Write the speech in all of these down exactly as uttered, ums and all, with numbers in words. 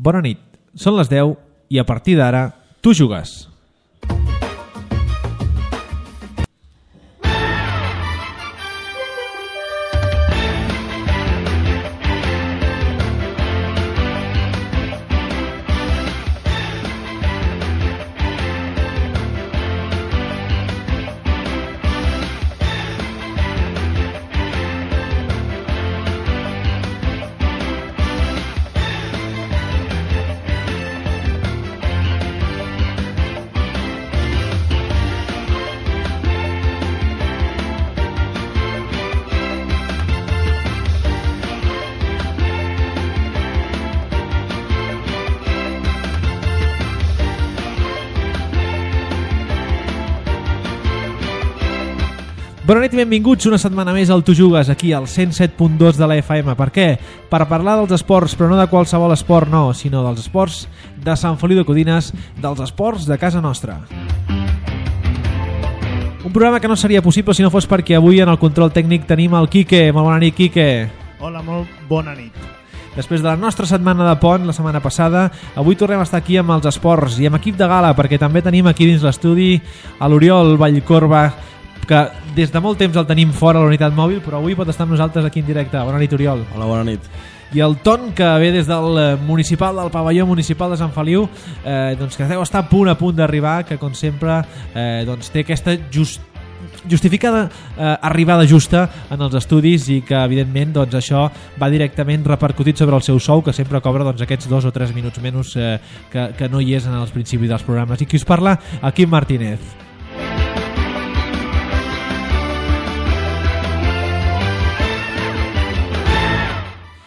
Bona nit, són les deu i a partir d'ara tu jugues. Bona nit i benvinguts una setmana més al Tu Jugues, aquí al cent set punt dos de la F M. Per què? Per parlar dels esports, però no de qualsevol esport, no, sinó dels esports de Sant Feliu de Codines, dels esports de casa nostra. Un programa que no seria possible si no fos perquè avui en el control tècnic tenim el Quique. Molt bona nit, Quique. Hola, molt bona nit. Després de la nostra setmana de pont, la setmana passada, avui tornem a estar aquí amb els esports i amb equip de gala, perquè també tenim aquí dins l'estudi a l'Oriol Vallcorba, que des de molt temps el tenim fora a la unitat mòbil, però avui pot estar amb nosaltres aquí en directe. Bona nit, Oriol. Hola, bona nit. I el Ton, que ve des del municipal, del pavelló municipal de Sant Feliu, eh, doncs que deu estar a punt a punt d'arribar, que com sempre eh, doncs té aquesta just, justificada eh, arribada justa en els estudis i que evidentment doncs, això va directament repercutit sobre el seu sou, que sempre cobra doncs, aquests dos o tres minuts menys eh, que, que no hi és en els principis dels programes. I qui us parla? Quim Martínez.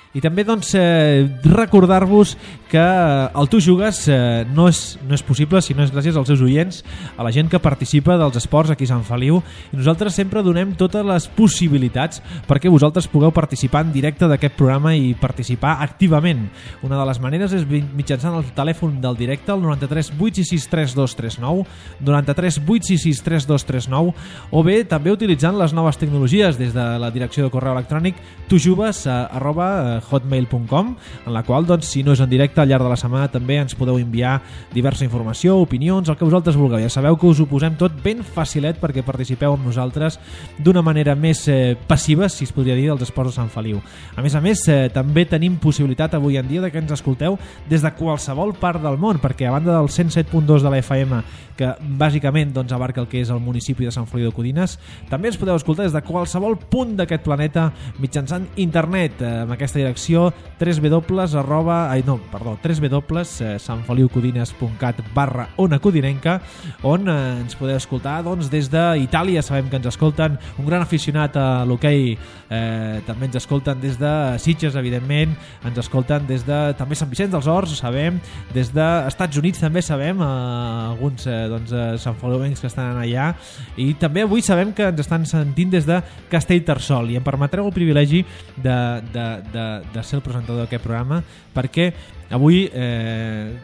I també doncs, eh, recordar-vos que el Tu Jugues eh, no, és, no és possible si no és gràcies als seus oients, a la gent que participa dels esports aquí a Sant Feliu, i nosaltres sempre donem totes les possibilitats perquè vosaltres pugueu participar en directe d'aquest programa i participar activament. Una de les maneres és mitjançant el telèfon del directe, el noranta-tres vuit sis sis tres dos tres nou, noranta-tres vuit sis sis tres dos tres nou, o bé també utilitzant les noves tecnologies des de la direcció de correu electrònic tujugues arroba hotmail punt com, en la qual, doncs, si no és en directe, al llarg de la setmana també ens podeu enviar diversa informació, opinions, el que vosaltres vulgueu. Ja sabeu que us ho posem tot ben facilet perquè participeu amb nosaltres d'una manera més eh, passiva, si es podria dir, dels esports de Sant Feliu. A més a més, eh, també tenim possibilitat avui en dia de que ens escolteu des de qualsevol part del món, perquè a banda del cent set punt dos de la F M, que bàsicament doncs, abarca el que és el municipi de Sant Feliu de Codines, també ens podeu escoltar des de qualsevol punt d'aquest planeta mitjançant internet, eh, amb aquesta direcció w arroba, ai, no, perdó, w santfeliucodines punt cat barra ona codinenca, on eh, ens podeu escoltar doncs, des d'Itàlia. Sabem que ens escolten un gran aficionat a l'hoquei, eh, també ens escolten des de Sitges, evidentment, ens escolten des de també Sant Vicenç dels Horts, sabem, des dels Estats Units també sabem, eh, alguns eh, doncs, eh, santfeliuencs que estan allà, i també avui sabem que ens estan sentint des de Castellterçol, i em permetreu el privilegi de, de, de, de ser el presentador d'aquest programa, perquè avui, eh,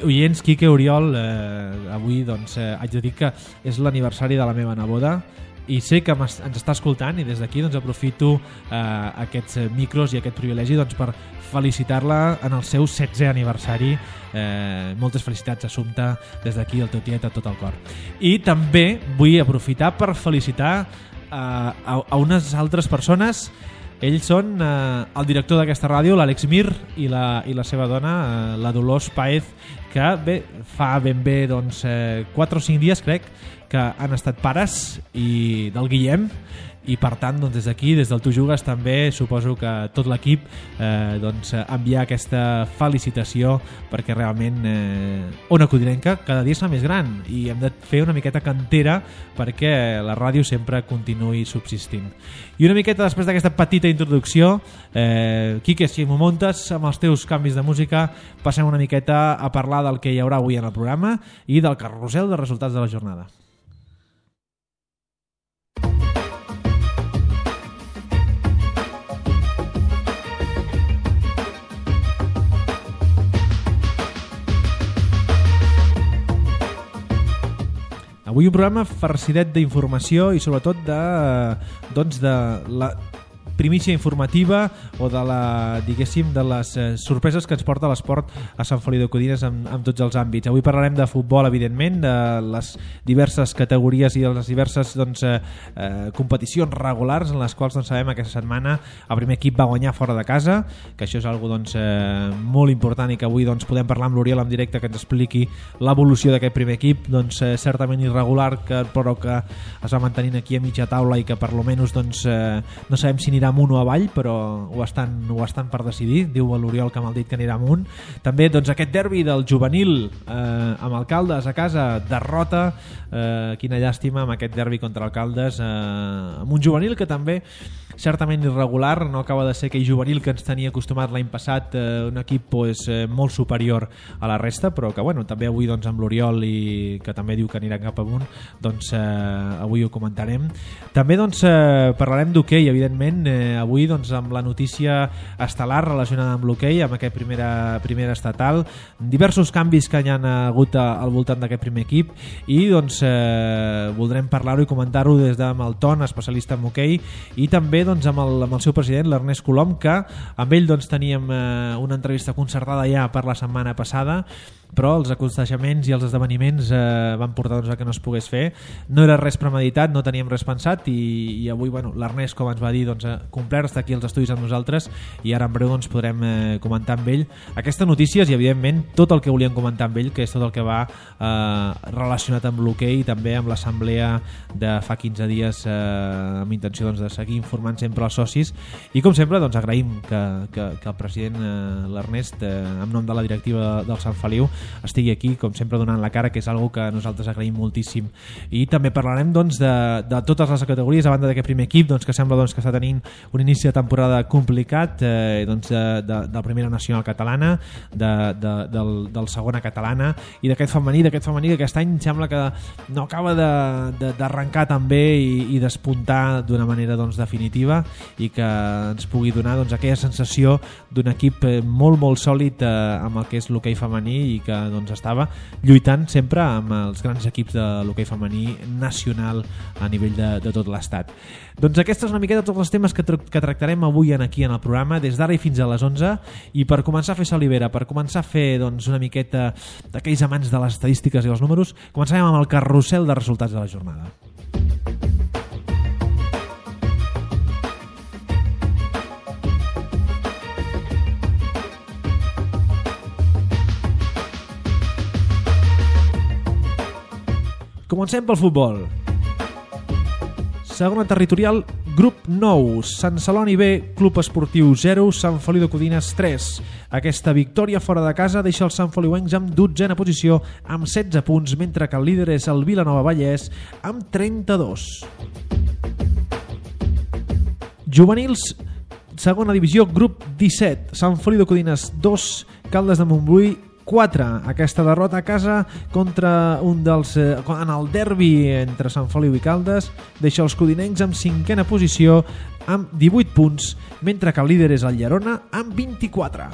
oients, Quique, Oriol, eh, avui doncs, eh, haig de dir que és l'aniversari de la meva neboda, i sé que ens està escoltant, i des d'aquí doncs, aprofito eh, aquests micros i aquest privilegi doncs, per felicitar-la en el seu setzè aniversari. Eh, moltes felicitats, Assumpta, des d'aquí, el teu tiet, a tot el cor. I també vull aprofitar per felicitar eh, a, a unes altres persones. Ells són eh, el director d'aquesta ràdio, l'Àlex Mir, i la, i la seva dona, eh, la Dolors Paez, que bé, fa ben bé doncs, eh, quatre o cinc dies, crec, que han estat pares i del Guillem, i per tant doncs, des d'aquí, des del Tu Jugues, també suposo que tot l'equip eh, doncs, enviar aquesta felicitació, perquè realment eh, Ona Codinenca cada dia es fa més gran i hem de fer una miqueta cantera perquè la ràdio sempre continuï subsistint. I una miqueta després d'aquesta petita introducció, eh, Quique, si m'ho muntes amb els teus canvis de música, passem una miqueta a parlar del que hi haurà avui en el programa i del carrusel de resultats de la jornada. Avui un programa farcidet d'informació i sobretot de, doncs de la primícia informativa o de la, diguéssim, de les eh, sorpreses que ens porta l'esport a Sant Feliu de Codines en, en tots els àmbits. Avui parlarem de futbol, evidentment, de les diverses categories i de les diverses doncs, eh, eh, competicions regulars en les quals doncs, sabem que aquesta setmana el primer equip va guanyar fora de casa, que això és algo doncs, eh, molt important i que avui doncs, podem parlar amb l'Oriol en directe que ens expliqui l'evolució d'aquest primer equip, doncs, eh, certament irregular, que, però que es va mantenint aquí a mitja taula i que per lo menys doncs, eh, no sabem si anirà amunt o avall, però ho estan, ho estan per decidir. Diu l'Oriol que m'ha dit que anirà amunt. També doncs, aquest derbi del juvenil eh, amb Alcaldes a casa, derrota, eh, quina llàstima amb aquest derbi contra Alcaldes, eh, amb un juvenil que també certament irregular, no acaba de ser aquell juvenil que ens tenia acostumat l'any passat, eh, un equip pues, eh, molt superior a la resta, però que bueno, també avui doncs, amb l'Oriol, i que també diu que anirà cap amunt, doncs eh, avui ho comentarem. També doncs, eh, parlarem d'hoquei, evidentment, eh, avui doncs, amb la notícia estel·lar relacionada amb l'hoquei, amb aquest primera, primera estatal, diversos canvis que hi ha hagut al voltant d'aquest primer equip, i doncs eh, voldrem parlar-ho i comentar-ho des de Malton, especialista en hoquei, i també doncs, amb, el, amb el seu president, l'Ernest Colom, que amb ell doncs, teníem eh, una entrevista concertada ja per la setmana passada, però els aconteixements i els esdeveniments eh, van portar doncs, a que no es pogués fer. No era res premeditat, no teníem res pensat, i, i avui bueno, l'Ernest, com ens va dir, doncs, complert, està aquí als estudis amb nosaltres, i ara en breu doncs, podrem eh, comentar amb ell aquestes notícies i evidentment tot el que volíem comentar amb ell, que és tot el que va eh, relacionat amb l'hoquei i també amb l'assemblea de fa quinze dies eh, amb intenció doncs, de seguir informant sempre els socis, i com sempre doncs, agraïm que, que, que el president eh, l'Ernest, eh, en nom de la directiva del Sant Feliu, estigui aquí com sempre donant la cara, que és algo que nosaltres agraïm moltíssim. I també parlarem doncs, de, de totes les categories a banda d'aquest primer equip, doncs, que sembla doncs, que està tenint un inici de temporada complicat, eh, doncs, de, de, de la primera nacional catalana, de, de, del, del segona catalana, i d'aquest femení, d'aquest femení que aquest any sembla que no acaba d'arrencar tan bé i, i despuntar d'una manera doncs, definitiva, i que ens pugui donar doncs, aquella sensació d'un equip molt molt sòlid eh, amb el que és l'hoquei femení, i que doncs, estava lluitant sempre amb els grans equips de l'hoquei femení nacional a nivell de, de tot l'estat. Doncs aquesta és una miqueta tots els temes que, tra que tractarem avui en aquí en el programa, des d'ara i fins a les onze, i per començar a fer salivera, per començar a fer doncs, una miqueta d'aquells amants de les estadístiques i els números, començarem amb el carrusel de resultats de la jornada. Comencem pel futbol. Segona territorial, grup nou, Sant Celoni B, Club Esportiu zero, Sant Feliu de Codines tres. Aquesta victòria fora de casa deixa els Sant Feliuencs amb dotzena posició amb setze punts, mentre que el líder és el Vilanova Vallès amb trenta-dos. Juvenils, segona divisió, grup disset, Sant Feliu de Codines dos, Caldes de Montbui quatre. Aquesta derrota a casa contra un dels, eh, en el derbi entre Sant Feliu i Caldes deixa els codinencs amb cinquena posició amb divuit punts, mentre que el líder és el Llerona amb vint-i-quatre.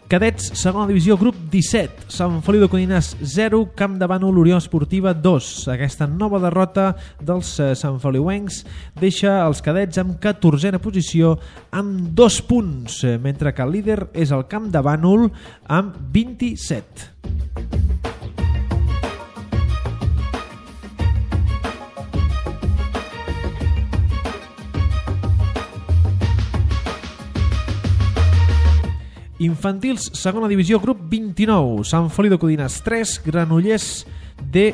Cadets, segona divisió, grup disset, Sant Feliu de Codines zero, Camp de Bànol, Unió Esportiva dos. Aquesta nova derrota dels Sant Feliuencs deixa els cadets amb catorzena posició amb dos punts, mentre que el líder és el Camp de Bànol amb vint-i-set. Infantils, segona divisió, grup vint-i-nou, Sant Feliu de Codines tres, Granollers D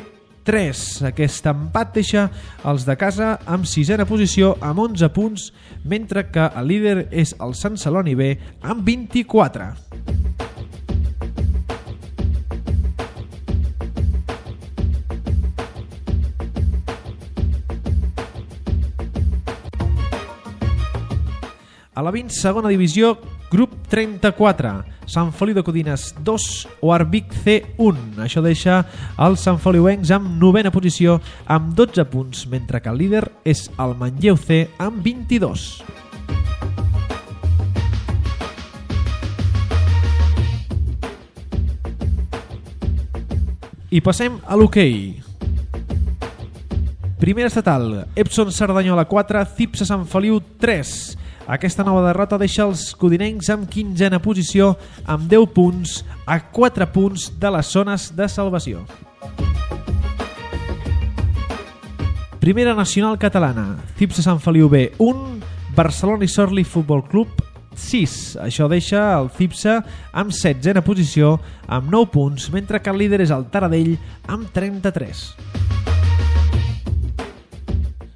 tres. Aquest empat deixa els de casa amb sisena posició amb onze punts, mentre que el líder és el Sant Celoni B amb vint-i-quatre. A la vint, segona divisió, grup trenta-quatre, Sant Feliu de Codines dos, Oarvic C un. Això deixa els Sant Feliuencs amb novena posició amb dotze punts, mentre que el líder és el Manlleu C amb vint-i-dos. I passem a l'hoquei. Primera estatal, Epson Cerdanyola quatre, Cipsa Sant Feliu tres. Aquesta nova derrota deixa els codinencs amb quinzena posició amb deu punts a quatre punts de les zones de salvació. Primera nacional catalana, Cipsa Sant Feliu B un, Barcelona i Sorli Futbol Club sis. Això deixa el Cipsa amb setzena posició amb nou punts, mentre que el líder és el Taradell amb trenta-tres.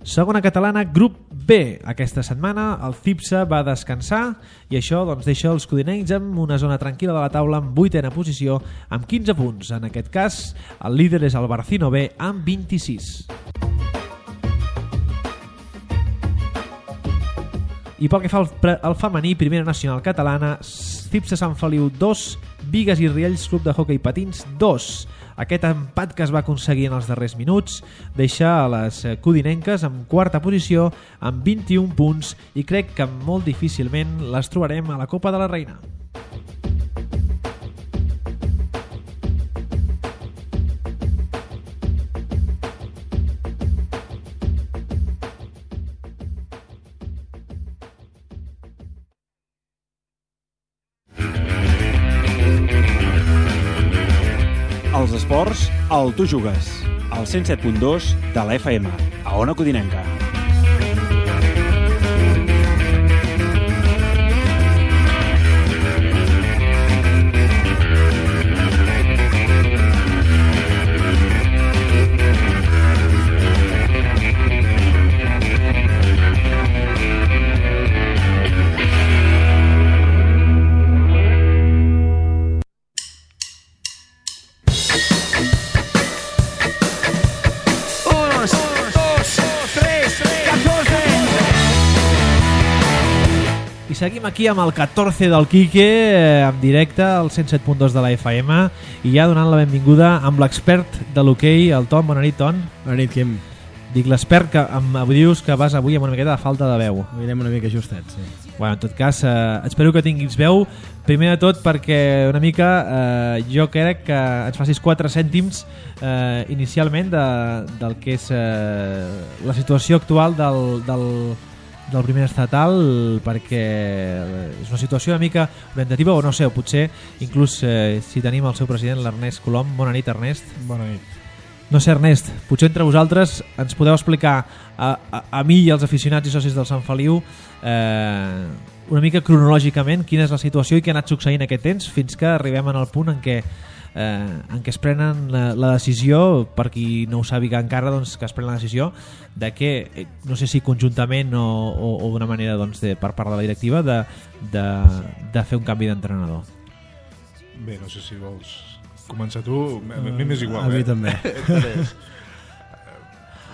Segona catalana, grup B. Aquesta setmana el Cipsa va descansar i això doncs, deixa els codinencs amb una zona tranquil·la de la taula amb vuitena posició amb quinze punts. En aquest cas, el líder és el Barcino B amb vint-i-sis. I pel que fa al, al femení, primera nacional catalana, Cipsa Sant Feliu dos, Bigues i Riells Club de Hockey Patins dos. Aquest empat que es va aconseguir en els darrers minuts deixa a les codinenques en quarta posició amb vint-i-un punts i crec que molt difícilment les trobarem a la Copa de la Reina. Els esports, al Tu Jugues, al cent set punt dos de la F M, a Ona Codinenca. Seguim aquí amb el catorze del Quique, eh, en directe al cent set punt dos de la F M i ja donant la benvinguda amb l'expert de l'hoquei, el Ton. Bona nit, Ton. Bona nit, Quim. Dic l'expert que em dius que vas avui amb una miqueta de falta de veu. Avui anem una mica justets, sí. Bueno, en tot cas, eh, espero que tinguis veu. Primer de tot perquè una mica eh, jo crec que ens facis quatre cèntims eh, inicialment de, del que és eh, la situació actual del... del del primer estatal, perquè és una situació una mica orientativa o no sé, o potser inclús eh, si tenim el seu president, l'Ernest Colom. Bona nit, Ernest. Bona nit. No sé, Ernest, potser entre vosaltres ens podeu explicar a, a, a mi i als aficionats i socis del Sant Feliu eh, una mica cronològicament quina és la situació i què ha anat succeint aquest temps fins que arribem en el punt en què Eh, en què es prenen la, la decisió, per qui no ho sàpiga encara, doncs, que es pren la decisió de que, eh, no sé si conjuntament o, o, o d'una manera doncs, de, per part de la directiva de, de, de fer un canvi d'entrenador. Bé, no sé si vols començar tu, a mi m'és igual. A mi eh? també. A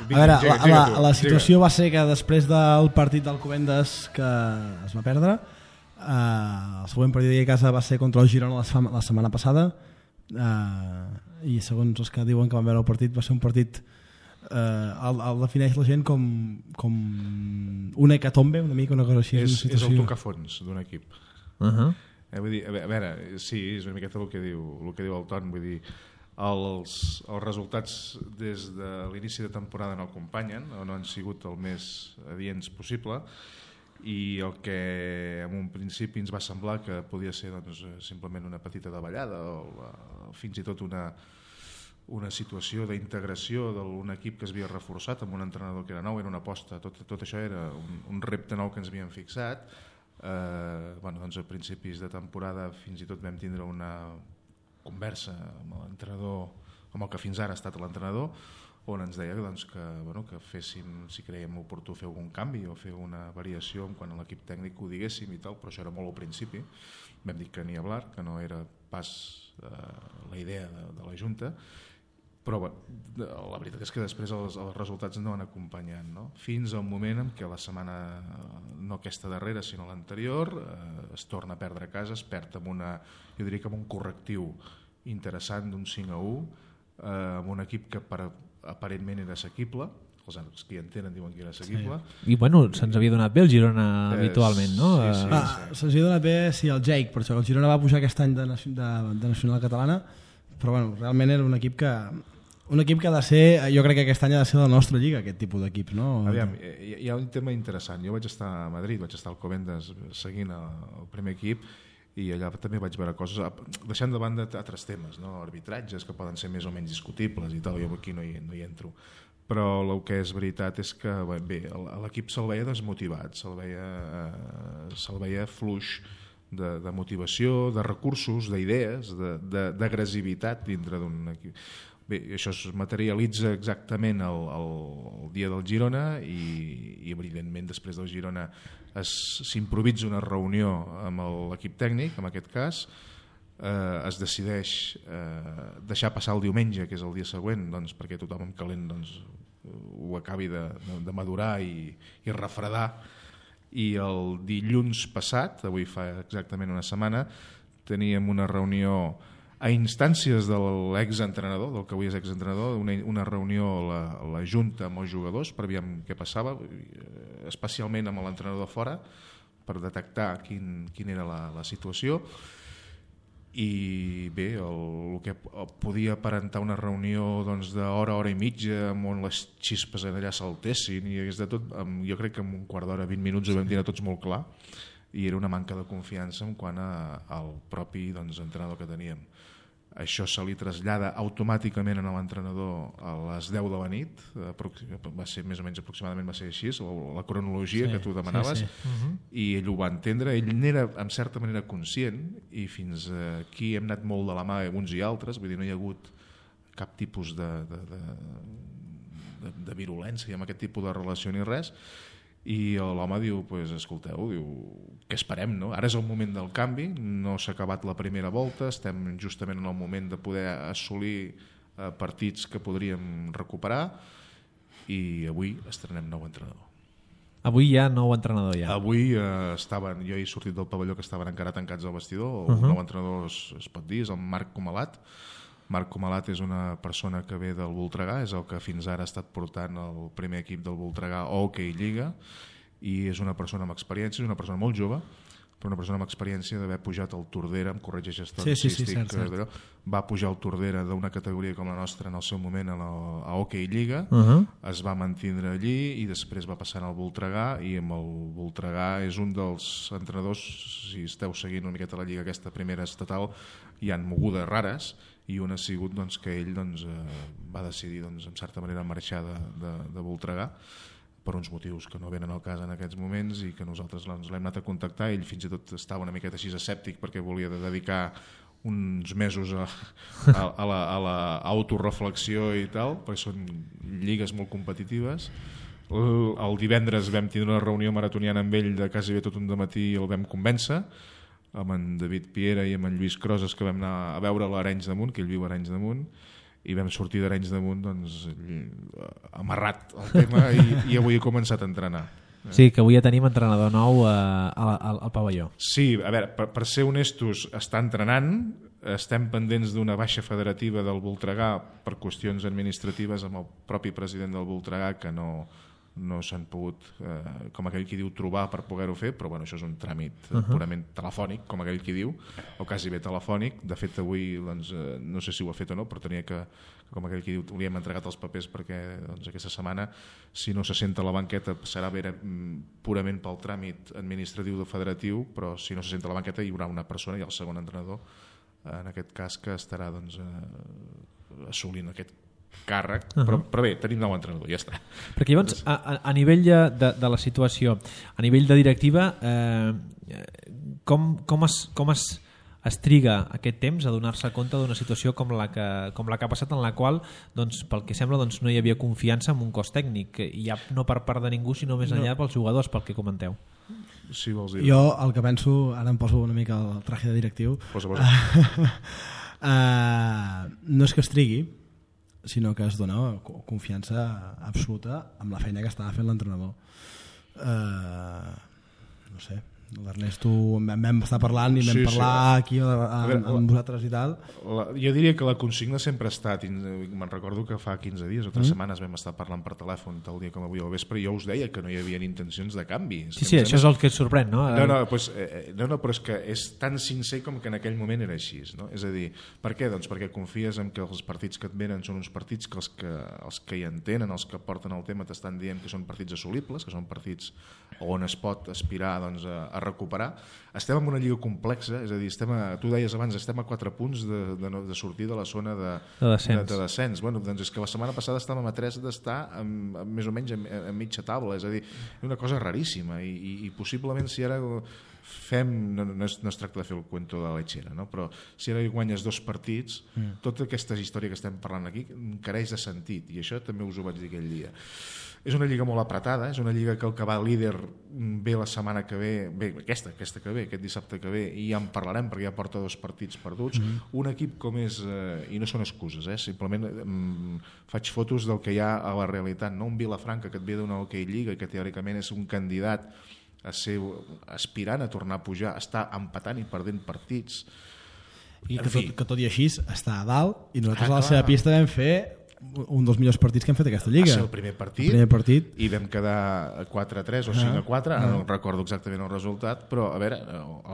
veure, la, la, la situació va ser que després del partit del Covendes que es va perdre, eh, el següent partit a casa va ser contra el Girona la, la setmana passada. Uh, i segons els que diuen que van veure el partit va ser un partit uh, el, el defineix la gent com, com una hecatombe, una mica una cosa així. És, una és el tocafons d'un equip. Uh-huh. eh, vull dir, a veure, sí, és una miqueta el que diu, el que diu el Ton, vull dir, els, els resultats des de l'inici de temporada no acompanyen o no han sigut el més adients possible, i el que en un principi ens va semblar que podia ser doncs, simplement una petita davallada o, o fins i tot una, una situació d'integració d'un equip que es havia reforçat amb un entrenador que era nou, era una aposta, tot, tot això era un, un repte nou que ens havíem fixat. Eh, bueno, doncs a principis de temporada fins i tot vam tindre una conversa amb l'entrenador, amb el que fins ara ha estat l'entrenador, on ens deia doncs, que, bueno, que féssim, si creiem oportú, fer algun canvi o fer una variació en quan a l'equip tècnic ho diguéssim i tal, però això era molt al principi. Vam dir que ni hablar, que no era pas eh, la idea de, de la Junta, però bé, la veritat és que després els, els resultats no van acompanyant, no? Fins al moment en què la setmana, no aquesta darrera sinó l'anterior, eh, es torna a perdre a casa, es perd amb una, jo diria que amb un correctiu interessant d'un cinc a u, eh, amb un equip que per aparentment era assequible, els que hi entenen diuen que era assequible. Sí. I bueno, se'ns havia donat bé el Girona eh, habitualment, no? Sí, sí, ah, sí. Se'ns havia donat bé, sí, el Jake, per això el Girona va pujar aquest any de, de, de Nacional Catalana, però bueno, realment era un equip que Un equip que ha de ser, jo crec que aquest any ha de ser la nostra lliga, aquest tipus d'equips, no? Aviam, hi ha un tema interessant. Jo vaig estar a Madrid, vaig estar al Covendes seguint el primer equip i allà també vaig veure coses, deixant de banda altres temes, no? Arbitratges que poden ser més o menys discutibles i tal, jo aquí no hi, no hi entro. Però el que és veritat és que bé, l'equip se'l veia desmotivat, se'l veia, eh, se'l veia fluix de, de motivació, de recursos, d'idees, d'agressivitat dintre d'un equip. Bé, això es materialitza exactament el, el, el dia del Girona i, i evidentment després del Girona s'improvisa una reunió amb l'equip tècnic, en aquest cas, eh, es decideix eh, deixar passar el diumenge, que és el dia següent, doncs, perquè tothom amb calent doncs, ho acabi de, de, de madurar i, i refredar, i el dilluns passat, avui fa exactament una setmana, teníem una reunió a instàncies de l'exentrenador, del que avui és exentrenador, una, una reunió a la, a la Junta amb els jugadors per veure què passava, especialment amb l'entrenador fora, per detectar quin, quin era la, la situació. I bé, el, el que podia aparentar una reunió doncs, d'hora, hora i mitja, on les xispes allà saltessin, i de tot, jo crec que en un quart d'hora, vint minuts ho vam dir a tots molt clar, i era una manca de confiança en quant a, al propi doncs, entrenador que teníem. Això se li trasllada automàticament a l'entrenador a les deu de la nit, va ser més o menys aproximadament va ser així, la cronologia sí, que tu demanaves, sí, sí. Uh-huh. I ell ho va entendre, ell n'era en certa manera conscient i fins aquí hem anat molt de la mà uns i altres, vull dir, no hi ha hagut cap tipus de, de, de, de, de virulència amb aquest tipus de relació ni res. I l'home diu, pues, escolteu, diu, què esperem, no? Ara és el moment del canvi, no s'ha acabat la primera volta, estem justament en el moment de poder assolir eh, partits que podríem recuperar i avui estrenem nou entrenador. Avui hi ha nou entrenador ja. Avui eh, estaven, jo he sortit del pavelló que estaven encara tancats al vestidor, uh-huh. El nou entrenador es, es pot dir, és el Marc Comalat. Marc Comalat és una persona que ve del Voltregà, és el que fins ara ha estat portant el primer equip del Voltregà a Hockey Lliga, i és una persona amb experiència, és una persona molt jove, però una persona amb experiència d'haver pujat al Tordera, em corregeix històric, sí, sí, sí, cert, cert. Va pujar al Tordera d'una categoria com la nostra en el seu moment a, la, a Hockey Lliga, uh-huh. Es va mantindre allí i després va passar al Voltregà, i amb el Voltregà és un dels entrenadors, si esteu seguint una miqueta la Lliga aquesta primera estatal, hi han mogudes rares, i un ha sigut doncs, que ell doncs, eh, va decidir doncs, en certa manera marxar de, de, de Voltregà per uns motius que no venen al cas en aquests moments i que nosaltres doncs, l'hem anat a contactar. Ell fins i tot estava una miqueta així escèptic perquè volia de dedicar uns mesos a, a, a la, a la autoreflexió i tal, perquè són lligues molt competitives. El, el divendres vam tenir una reunió maratoniana amb ell de quasi bé tot un dematí i el vam convèncer, amb en David Piera i amb en Lluís Croses, que vam anar a veure l'Arenys de Munt, que ell viu a Arenys de Munt, i vam sortir d'Arenys de Munt doncs, amarrat al tema i, i avui he començat a entrenar. Sí, que avui ja tenim entrenador nou a, a, a, al pavelló. Sí, a veure, per, per ser honestos, està entrenant, estem pendents d'una baixa federativa del Voltregà per qüestions administratives amb el propi president del Voltregà, que no... no s'han pogut, eh, com aquell qui diu, trobar per poder-ho fer, però bueno, això és un tràmit uh-huh. purament telefònic, com aquell qui diu, o quasi bé telefònic. De fet, avui, doncs, eh, no sé si ho ha fet o no, però tenia que, com aquell qui diu, li hem entregat els papers perquè doncs, aquesta setmana, si no se senta a la banqueta, serà vera, purament pel tràmit administratiu del federatiu, però si no se senta a la banqueta hi haurà una persona i el segon entrenador, en aquest cas, que estarà doncs, eh, assolint aquest càrrec, uh-huh. però, però bé, tenim nou entrenador, ja està. Perquè llavors, a, a nivell de, de, de la situació, a nivell de directiva, eh, com, com, es, com es, es triga aquest temps a donar-se compte d'una situació com la, que, com la que ha passat, en la qual, doncs, pel que sembla, doncs, no hi havia confiança en un cos tècnic, i ja no per part de ningú, sinó més enllà no. pels jugadors, pel que comenteu. Sí, vols dir. Jo el que penso, ara em poso una mica el traje de directiu, posa, posa. uh, no és que es trigui, sinó que es dona confiança absoluta amb la feina que estava fent l'entrenador. Uh, no sé, L'Ernesto en vam estar parlant i vam Sí, sí. parlar aquí amb, veure, amb, amb vosaltres i tal. La, jo diria que la consigna sempre ha estat, i me'n recordo que fa quinze dies o tres Mm. setmanes vam estar parlant per telèfon tal dia com avui al vespre, i jo us deia que no hi havia intencions de canvi. Sí, sí, això és el que et sorprèn, no? No, no, pues, eh, no, no, però és que és tan sincer com que en aquell moment era així, no? És a dir, per què? Doncs perquè confies en que els partits que et venen són uns partits que els que, els que hi entenen, els que porten el tema t'estan dient que són partits assolibles, que són partits on es pot aspirar doncs, a, a recuperar. Estem en una lliga complexa, és a dir, estem a, tu deies abans, estem a quatre punts de, de, de sortir de la zona de, de descens. De, de descens. Bueno, doncs és que la setmana passada estàvem a tres d'estar amb, amb, més o menys a, a mitja taula, és a dir, una cosa raríssima i, i, i possiblement si ara fem, no, no, es, no es tracta de fer el cuento de la lechera, no? Però si ara guanyes dos partits, mm. tota aquesta història que estem parlant aquí careix de sentit, i això també us ho vaig dir aquell dia. És una lliga molt apretada, és una lliga que el que va líder ve la setmana que ve, bé, aquesta, aquesta que ve, aquest dissabte que ve, i ja en parlarem perquè ja porta dos partits perduts. Mm-hmm. Un equip com és, eh, i no són excuses, eh, simplement eh, faig fotos del que hi ha a la realitat, no? Un Vilafranca que et ve d'una hoquei lliga i que teòricament és un candidat a ser aspirant a tornar a pujar, està empatant i perdent partits. I que tot, que tot i així està a dalt, i nosaltres ah, a la seva pista vam fer un dels millors partits que hem fet aquesta lliga. Va ser el primer partit, el primer partit. I vam quedar quatre a tres o cinc a quatre, ah. no recordo exactament el resultat, però a veure,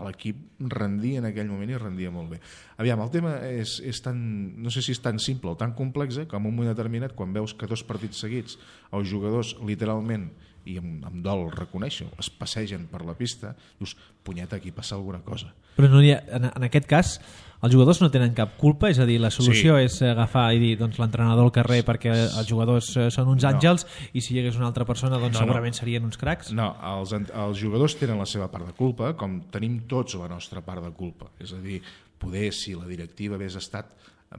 l'equip rendia en aquell moment i rendia molt bé. Aviam, el tema és, és tan, no sé si és tan simple o tan complex, eh, com en un moment determinat, quan veus que dos partits seguits els jugadors literalment, i amb, amb dol reconèixer, es passegen per la pista, dius, punyeta, aquí passa alguna cosa. Però no hi ha, en, en aquest cas els jugadors no tenen cap culpa, és a dir, la solució sí. és agafar i dir doncs, l'entrenador al carrer perquè els jugadors són uns àngels no. i si hi hagués una altra persona doncs no, segurament no. serien uns cracs. No, els, els jugadors tenen la seva part de culpa, com tenim tots la nostra part de culpa. És a dir, poder si la directiva hagués estat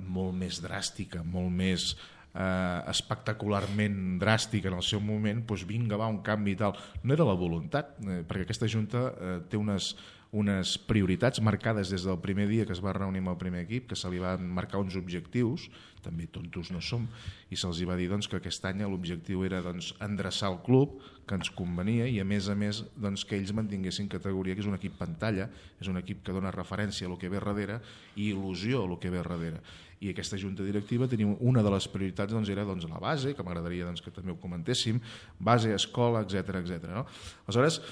molt més dràstica, molt més eh, espectacularment dràstica en el seu moment, doncs vinga, va, un canvi i tal. No era la voluntat, eh, perquè aquesta Junta eh, té unes unes prioritats marcades des del primer dia que es va reunir amb el primer equip, que se li van marcar uns objectius, també tontos no som, i se'ls va dir doncs, que aquest any l'objectiu era doncs, endreçar el club, que ens convenia, i a més a més doncs, que ells mantinguessin categoria, que és un equip pantalla, és un equip que dona referència a lo que ve darrere i il·lusió a lo que ve darrere. I aquesta junta directiva tenia una de les prioritats doncs, era doncs, la base, que m'agradaria doncs, que també ho comentéssim, base, escola, etcètera etcètera. No? Aleshores,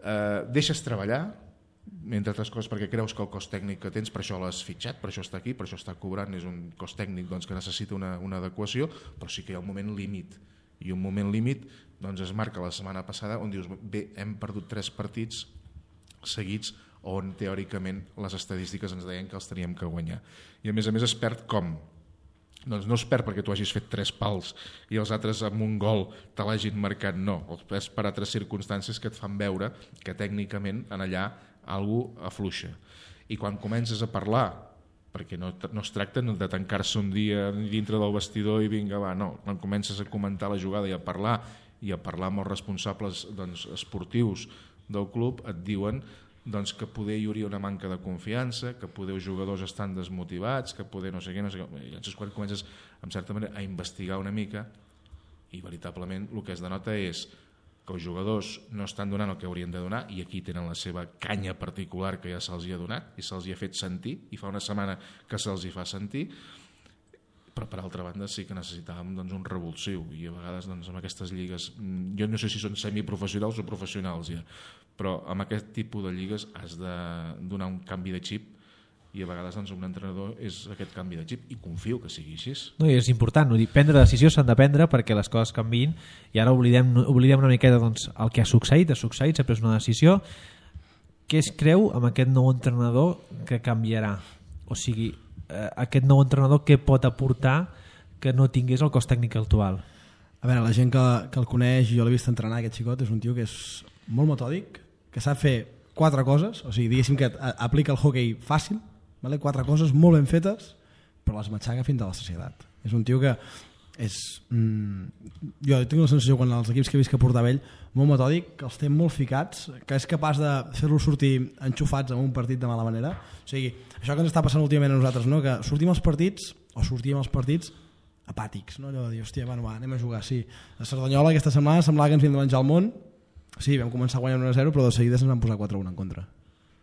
eh, deixes treballar, entre altres coses perquè creus que el cost tècnic que tens per això l'has fitxat, per això està aquí, per això està cobrant, és un cost tècnic doncs, que necessita una, una adequació, però sí que hi ha un moment límit, i un moment límit doncs, es marca la setmana passada on dius, bé, hem perdut tres partits seguits on teòricament les estadístiques ens deien que els teníem que guanyar, i a més a més es perd com? Doncs no es perd perquè tu hagis fet tres pals i els altres amb un gol te l'hagin marcat, no, els perds per altres circumstàncies que et fan veure que tècnicament en allà algú afluixa. I quan comences a parlar, perquè no, no es tracta de tancar-se un dia dintre del vestidor i vinga, va, no, quan comences a comentar la jugada i a parlar i a parlar amb els responsables doncs, esportius del club, et diuen doncs, que poder hi hauria una manca de confiança, que poder els jugadors estan desmotivats, que poder no sé què, no sé què. I llavors quan comences, en certa manera, a investigar una mica, i veritablement el que es denota és que els jugadors no estan donant el que haurien de donar, i aquí tenen la seva canya particular que ja se'ls hi ha donat i se'ls hi ha fet sentir, i fa una setmana que se'ls hi fa sentir, però per altra banda sí que necessitàvem doncs, un revulsiu, i a vegades doncs, amb aquestes lligues, jo no sé si són semiprofessionals o professionals ja, però amb aquest tipus de lligues has de donar un canvi de xip, i a vegades doncs, un entrenador és aquest canvi de xip, i confio que sigui així. No, i és important, prendre decisions s'han de prendre perquè les coses canviïn, i ara oblidem, oblidem una miqueta doncs, el que ha succeït, ha succeït, s'ha pres una decisió. Què es creu amb aquest nou entrenador que canviarà? O sigui, eh, aquest nou entrenador què pot aportar que no tingués el cos tècnic actual? A veure, la gent que, que el coneix, jo l'he vist entrenar, aquest xicot, és un tio que és molt metòdic, que sap fer quatre coses, o sigui, diguéssim que aplica el hoquei fàcil, vale? Quatre coses molt ben fetes, però les matxaca fins a la societat. És un tio que és... Mm, jo tinc la sensació, quan els equips que he vist que portava ell, molt metòdic, que els té molt ficats, que és capaç de fer-los sortir enxufats en un partit de mala manera. O sigui, això que ens està passant últimament a nosaltres, no? Que sortim als partits, o sortíem als partits apàtics, no? Allò de dir, hòstia, bueno, va, anem a jugar, sí. A Cerdanyola aquesta setmana semblava que ens havíem de menjar el món, Sí, vam començar guanyant un a zero, però de seguida se'ns van posar quatre a un en contra.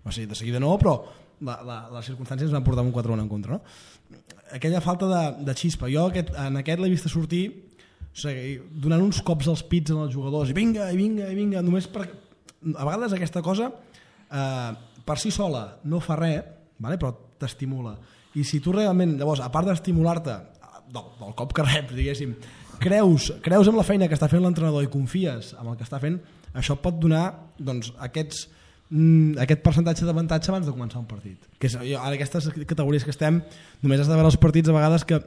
O sigui, de seguida no, però la, la, les circumstàncies ens van portar un quatre a un en contra. No? Aquella falta de, de xispa. Jo aquest, en aquest l'he vist sortir, o sigui, donant uns cops als pits als jugadors, i vinga, i vinga, i vinga, només per... A vegades aquesta cosa, eh, per si sola, no fa res, vale? Però t'estimula. I si tu realment, llavors, a part d'estimular-te del, del cop que reps, diguéssim, creus, creus en la feina que està fent l'entrenador i confies en el que està fent, això pot donar doncs, aquests, mm, aquest percentatge d'avantatge abans de començar un partit. Que és, jo, ara aquestes categories que estem, només has de veure els partits a vegades que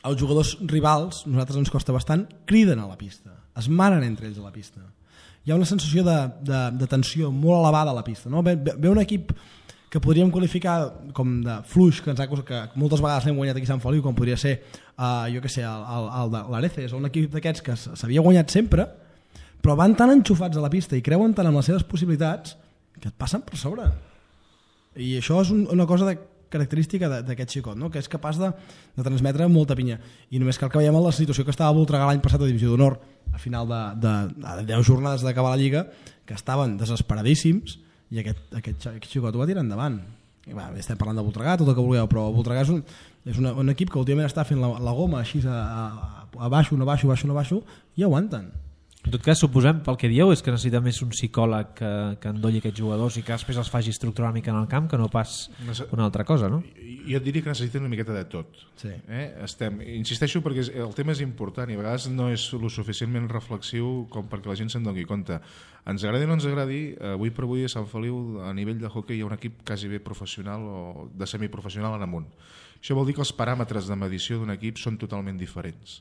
els jugadors rivals, nosaltres ens costa bastant, criden a la pista, es manen entre ells a la pista. Hi ha una sensació de, de, de tensió molt elevada a la pista. No? Ve, ve un equip que podríem qualificar com de fluix, que, ens ha, que moltes vegades l'hem guanyat aquí a Sant Feliu, com podria ser uh, jo que sé, el, el, el de l'Areces, o un equip d'aquests que s'havia guanyat sempre, però van tan enxufats a la pista i creuen tant en les seves possibilitats que et passen per sobre. I això és un, una cosa de, característica d'aquest xicot, no? Que és capaç de, de transmetre molta pinya. I només cal que veiem la situació que estava a Voltregà l'any passat a Divisió d'Honor, a final de, de, de deu jornades d'acabar la Lliga, que estaven desesperadíssims, i aquest, aquest, aquest xicot ho va tirar endavant. I, va, estem parlant de Voltregà, tot el que vulgueu, però Voltregà és un, és una, un equip que últimament està fent la, la goma així a, a, a baixo, no baixo, baixo, no baixo, i aguanten. En tot cas, suposem, pel que dieu, és que necessita més un psicòleg que, que endolli aquests jugadors i que després els faci estructurar una mica en el camp, que no pas una altra cosa, no? Jo et diria que necessiten una miqueta de tot. Sí. Eh? Estem, insisteixo perquè el tema és important i a vegades no és lo suficientment reflexiu com perquè la gent se'n doni compte. Ens agradi o no ens agradi, avui per avui a Sant Feliu, a nivell de hoquei, hi ha un equip quasi bé professional o de semiprofessional en amunt. Això vol dir que els paràmetres de medició d'un equip són totalment diferents.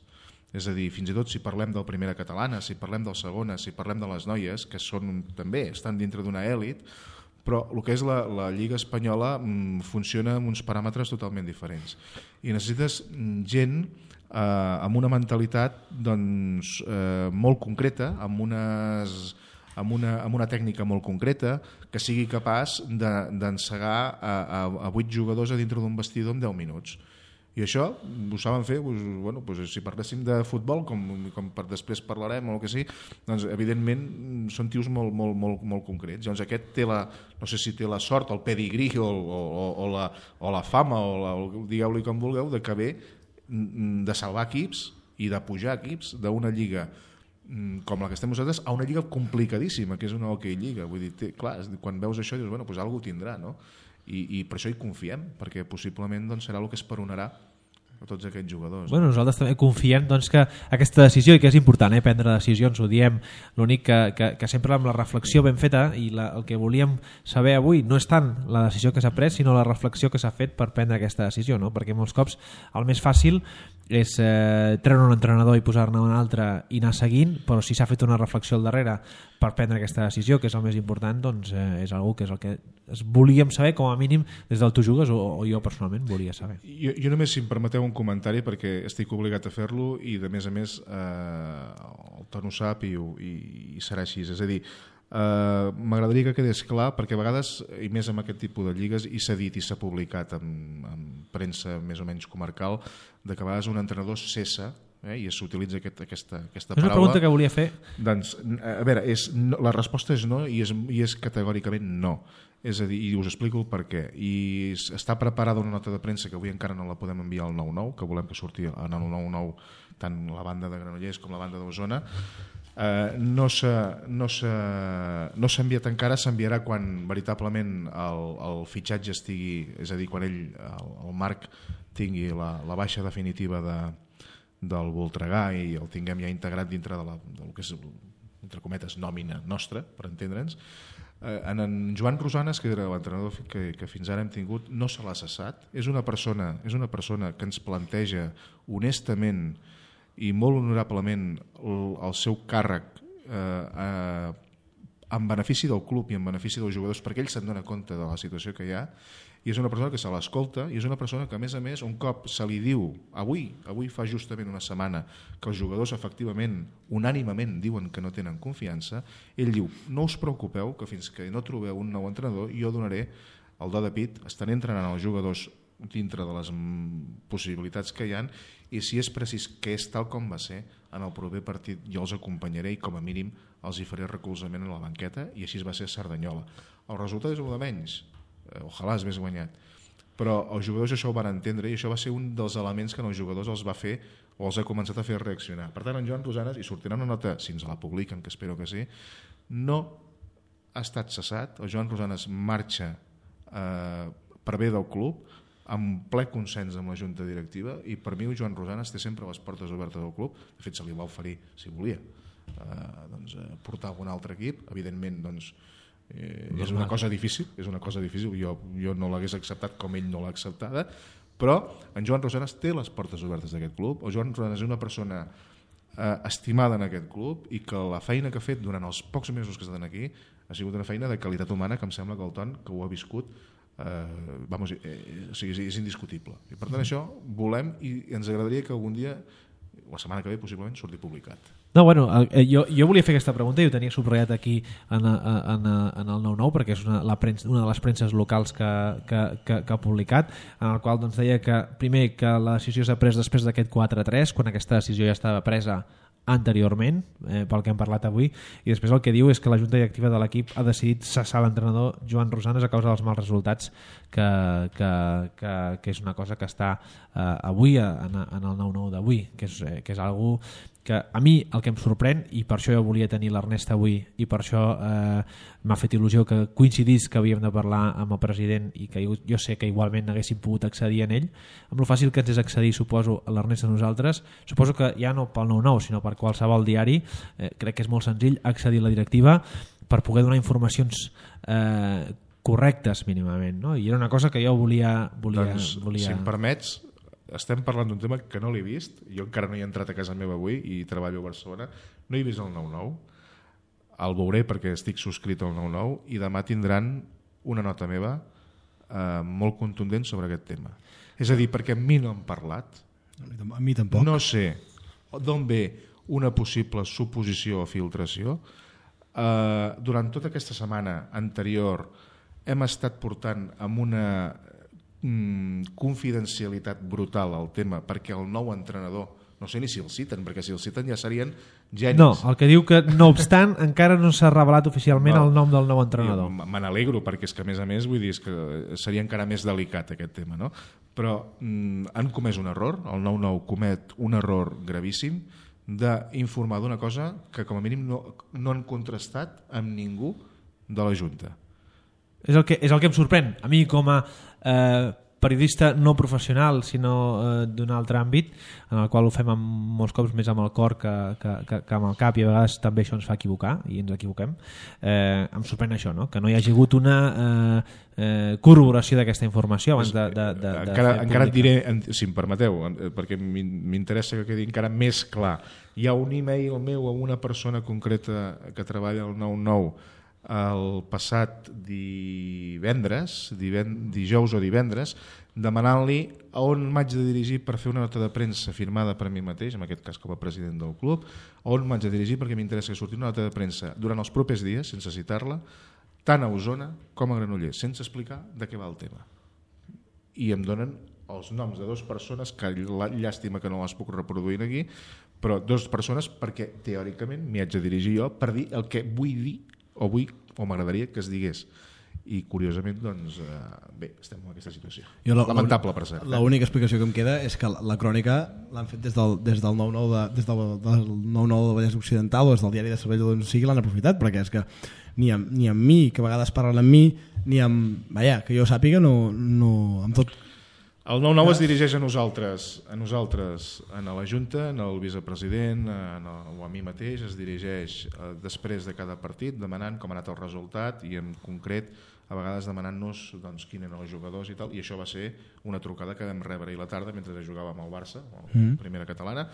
És a dir, fins i tot si parlem del primera catalana, si parlem del segona, si parlem de les noies, que són també estan dintre d'una èlit, però el que és la, la Lliga Espanyola mm, funciona amb uns paràmetres totalment diferents. I necessites gent eh, amb una mentalitat doncs, eh, molt concreta, amb, unes, amb, una, amb una tècnica molt concreta, que sigui capaç d'encegar de, a, a, a vuit jugadors a dintre d'un vestidor en deu minuts. I això ho saben fer, doncs, bueno, doncs, si parléssim de futbol, com, com per després parlarem o el que sigui, doncs evidentment són tios molt, molt, molt, molt concrets. Llavors aquest té la, no sé si té la sort, el pedigrí o, o, o, la, o la fama, o, la, o digueu-li com vulgueu, de que ve de salvar equips i de pujar equips d'una lliga com la que estem nosaltres a una lliga complicadíssima, que és una hoquei lliga. Vull dir, té, clar, quan veus això dius, bueno, doncs alguna cosa tindrà, no? I, i per això hi confiem, perquè possiblement doncs, serà el que esperonarà a tots aquests jugadors. Bueno, nosaltres també confiem doncs, que aquesta decisió, i que és important eh, prendre decisions, ho diem, l'únic que, que, que sempre amb la reflexió ben feta, i la, el que volíem saber avui no és tant la decisió que s'ha pres, sinó la reflexió que s'ha fet per prendre aquesta decisió, no? Perquè molts cops el més fàcil és eh, treure un entrenador i posar-ne un altre i anar seguint, però si s'ha fet una reflexió al darrere per prendre aquesta decisió, que és el més important, doncs eh, és algo que és el que es volíem saber, com a mínim des del Tu Jugues, o, o jo personalment volia saber. Jo, jo només, si em permeteu un comentari, perquè estic obligat a fer-lo i de més a més eh, el Ton ho sap i, i, i serà així, és a dir, Uh, m'agradaria que quedés clar, perquè a vegades, i més amb aquest tipus de lligues, i s'ha dit i s'ha publicat en, en premsa més o menys comarcal, de que a vegades un entrenador cessa, eh, i s'utilitza aquest, aquesta, aquesta paraula. És una pregunta que volia fer. Doncs, a veure, és, no, la resposta és no, i és, i és categòricament no. És a dir, i us explico el per què. I està preparada una nota de premsa que avui encara no la podem enviar al nou nou, que volem que surti en el nou nou tant la banda de Granollers com la banda d'Osona. Uh, no s'ha no no enviat encara, s'enviarà quan veritablement el, el fitxatge estigui, és a dir, quan ell, el, el Marc tingui la, la baixa definitiva de, del Voltregà i el tinguem ja integrat dintre de la, del que és, entre cometes, nòmina nostra, per entendre'ns. Uh, en, en Joan Rosanes, que era l'entrenador que, que fins ara hem tingut, no se l'ha cessat. És una persona, és una persona que ens planteja honestament i molt honorablement el, el seu càrrec eh, eh, en benefici del club i en benefici dels jugadors, perquè ell se'n dona compte de la situació que hi ha, i és una persona que se l'escolta, i és una persona que a més a més un cop se li diu, avui avui fa justament una setmana que els jugadors efectivament, unànimament diuen que no tenen confiança, ell diu, no us preocupeu que fins que no trobeu un nou entrenador jo donaré el do de pit, estaré entrenant els jugadors dintre de les possibilitats que hi ha, i si és precís que és tal com va ser en el proper partit jo els acompanyaré i com a mínim els hi faré recolzament a la banqueta, i així va ser a Cerdanyola. El resultat és el de menys, ojalà es més guanyat, però els jugadors això ho van entendre i això va ser un dels elements que els jugadors els va fer o els ha començat a fer reaccionar. Per tant, en Joan Rosanes, i sortirà una nota, si ens la publiquen, que espero que sí, no ha estat cessat. El Joan Rosanes marxa eh, per bé del club, amb ple consens amb la junta directiva, i per mi el Joan Rosanes té sempre les portes obertes del club. De fet, se li va oferir, si volia, eh, doncs, eh, portar algun altre equip. Evidentment, doncs, eh, és una cosa difícil, és una cosa difícil. Jo, jo no l'hagués acceptat com ell no l'ha acceptada, però en Joan Rosanes té les portes obertes d'aquest club. El Joan Rosanes és una persona eh, estimada en aquest club, i que la feina que ha fet durant els pocs mesos que estan aquí ha sigut una feina de qualitat humana que em sembla que el Ton, que ho ha viscut, eh, vamos, eh, o sigui, és indiscutible. I per tant, això volem, i ens agradaria que algun dia, la setmana que ve possiblement, surti publicat. No, bueno, jo, jo volia fer aquesta pregunta i ho tenia subratllat aquí en, en, en el nou nou, perquè és una, la premsa, una de les premses locals que, que, que, que ha publicat, en el qual doncs, deia que primer que la decisió s'ha pres després d'aquest quatre a tres, quan aquesta decisió ja estava presa anteriorment, eh, pel que hem parlat avui, i després el que diu és que la junta directiva de l'equip ha decidit cessar l'entrenador Joan Rosanes a causa dels mals resultats, que, que, que, que és una cosa que està eh, avui en, en el nou nou d'avui, que és, eh, que és algo que a mi el que em sorprèn, i per això jo volia tenir l'Ernest avui, i per això eh, m'ha fet il·lusió que coincidís que havíem de parlar amb el president, i que jo, jo sé que igualment haguéssim pogut accedir en ell, amb lo fàcil que ens és accedir, suposo, a l'Ernest a nosaltres, suposo que ja no pel nou nou, sinó per qualsevol diari, eh, crec que és molt senzill accedir a la directiva per poder donar informacions eh, correctes mínimament, no? I era una cosa que jo volia... volia, doncs, volia... si em permets, estem parlant d'un tema que no l'he vist, jo encara no he entrat a casa meva avui i treballo a Barcelona, no he vist el nou nou, el veuré perquè estic subscrit al nou nou, i demà tindran una nota meva eh, molt contundent sobre aquest tema. És a dir, perquè a mi no han parlat, a mi tampoc. No sé d'on ve una possible suposició o filtració. Eh, durant tota aquesta setmana anterior hem estat portant amb una confidencialitat brutal al tema, perquè el nou entrenador, no sé ni si el citen, perquè si el citen ja serien genis. No, el que diu que no obstant encara no s'ha revelat oficialment no, el nom del nou entrenador. Me n'alegro, perquè és que a més a més vull dir, és que seria encara més delicat aquest tema, no? Però mm, han comès un error, el nou nou comet un error gravíssim d'informar d'una cosa que com a mínim no, no han contrastat amb ningú de la Junta. És el que, és el que em sorprèn. A mi com a eh, periodista no professional, sinó eh, d'un altre àmbit, en el qual ho fem amb, molts cops més amb el cor que, que, que, que amb el cap, i a vegades també això ens fa equivocar, i ens equivoquem, eh, em sorprèn això, no? Que no hi hagi hagut una eh, eh, corroboració d'aquesta informació abans de, de, de, de encara, encara et diré, si em permeteu, perquè m'interessa que quedi encara més clar. Hi ha un e-mail meu a una persona concreta que treballa al nou nou el passat divendres, divend, dijous o divendres, demanant-li a on m'haig de dirigir per fer una nota de premsa firmada per mi mateix, en aquest cas com a president del club, a on m'haig de dirigir perquè m'interessa que surti una nota de premsa durant els propers dies, sense citar-la, tant a Osona com a Granollers, sense explicar de què va el tema. I em donen els noms de dues persones, que llàstima que no les puc reproduir aquí, però dues persones perquè teòricament m'hi haig de dirigir jo per dir el que vull dir o vull o m'agradaria que es digués, i curiosament doncs, eh, bé, estem en aquesta situació. Jo la, lamentable per cert. L'única explicació que em queda és que la, la crònica l'han fet des del, des del nou nou de, des del, del nou nou del Vallès Occidental o des del diari de Cervelló, d'on sigui, l'han aprofitat, perquè és que ni amb, ni amb mi, que a vegades parlen amb mi, ni amb, vaja, que jo sàpiga, no, no, amb tot. El nou nou es dirigeix a nosaltres, a nosaltres, a la Junta, al vicepresident, en el, o a mi mateix, es dirigeix eh, després de cada partit demanant com ha anat el resultat i en concret a vegades demanant-nos doncs, quins eren els jugadors i tal, i això va ser una trucada que vam rebre ahir a la tarda mentre jugàvem al Barça, a la mm. primera catalana,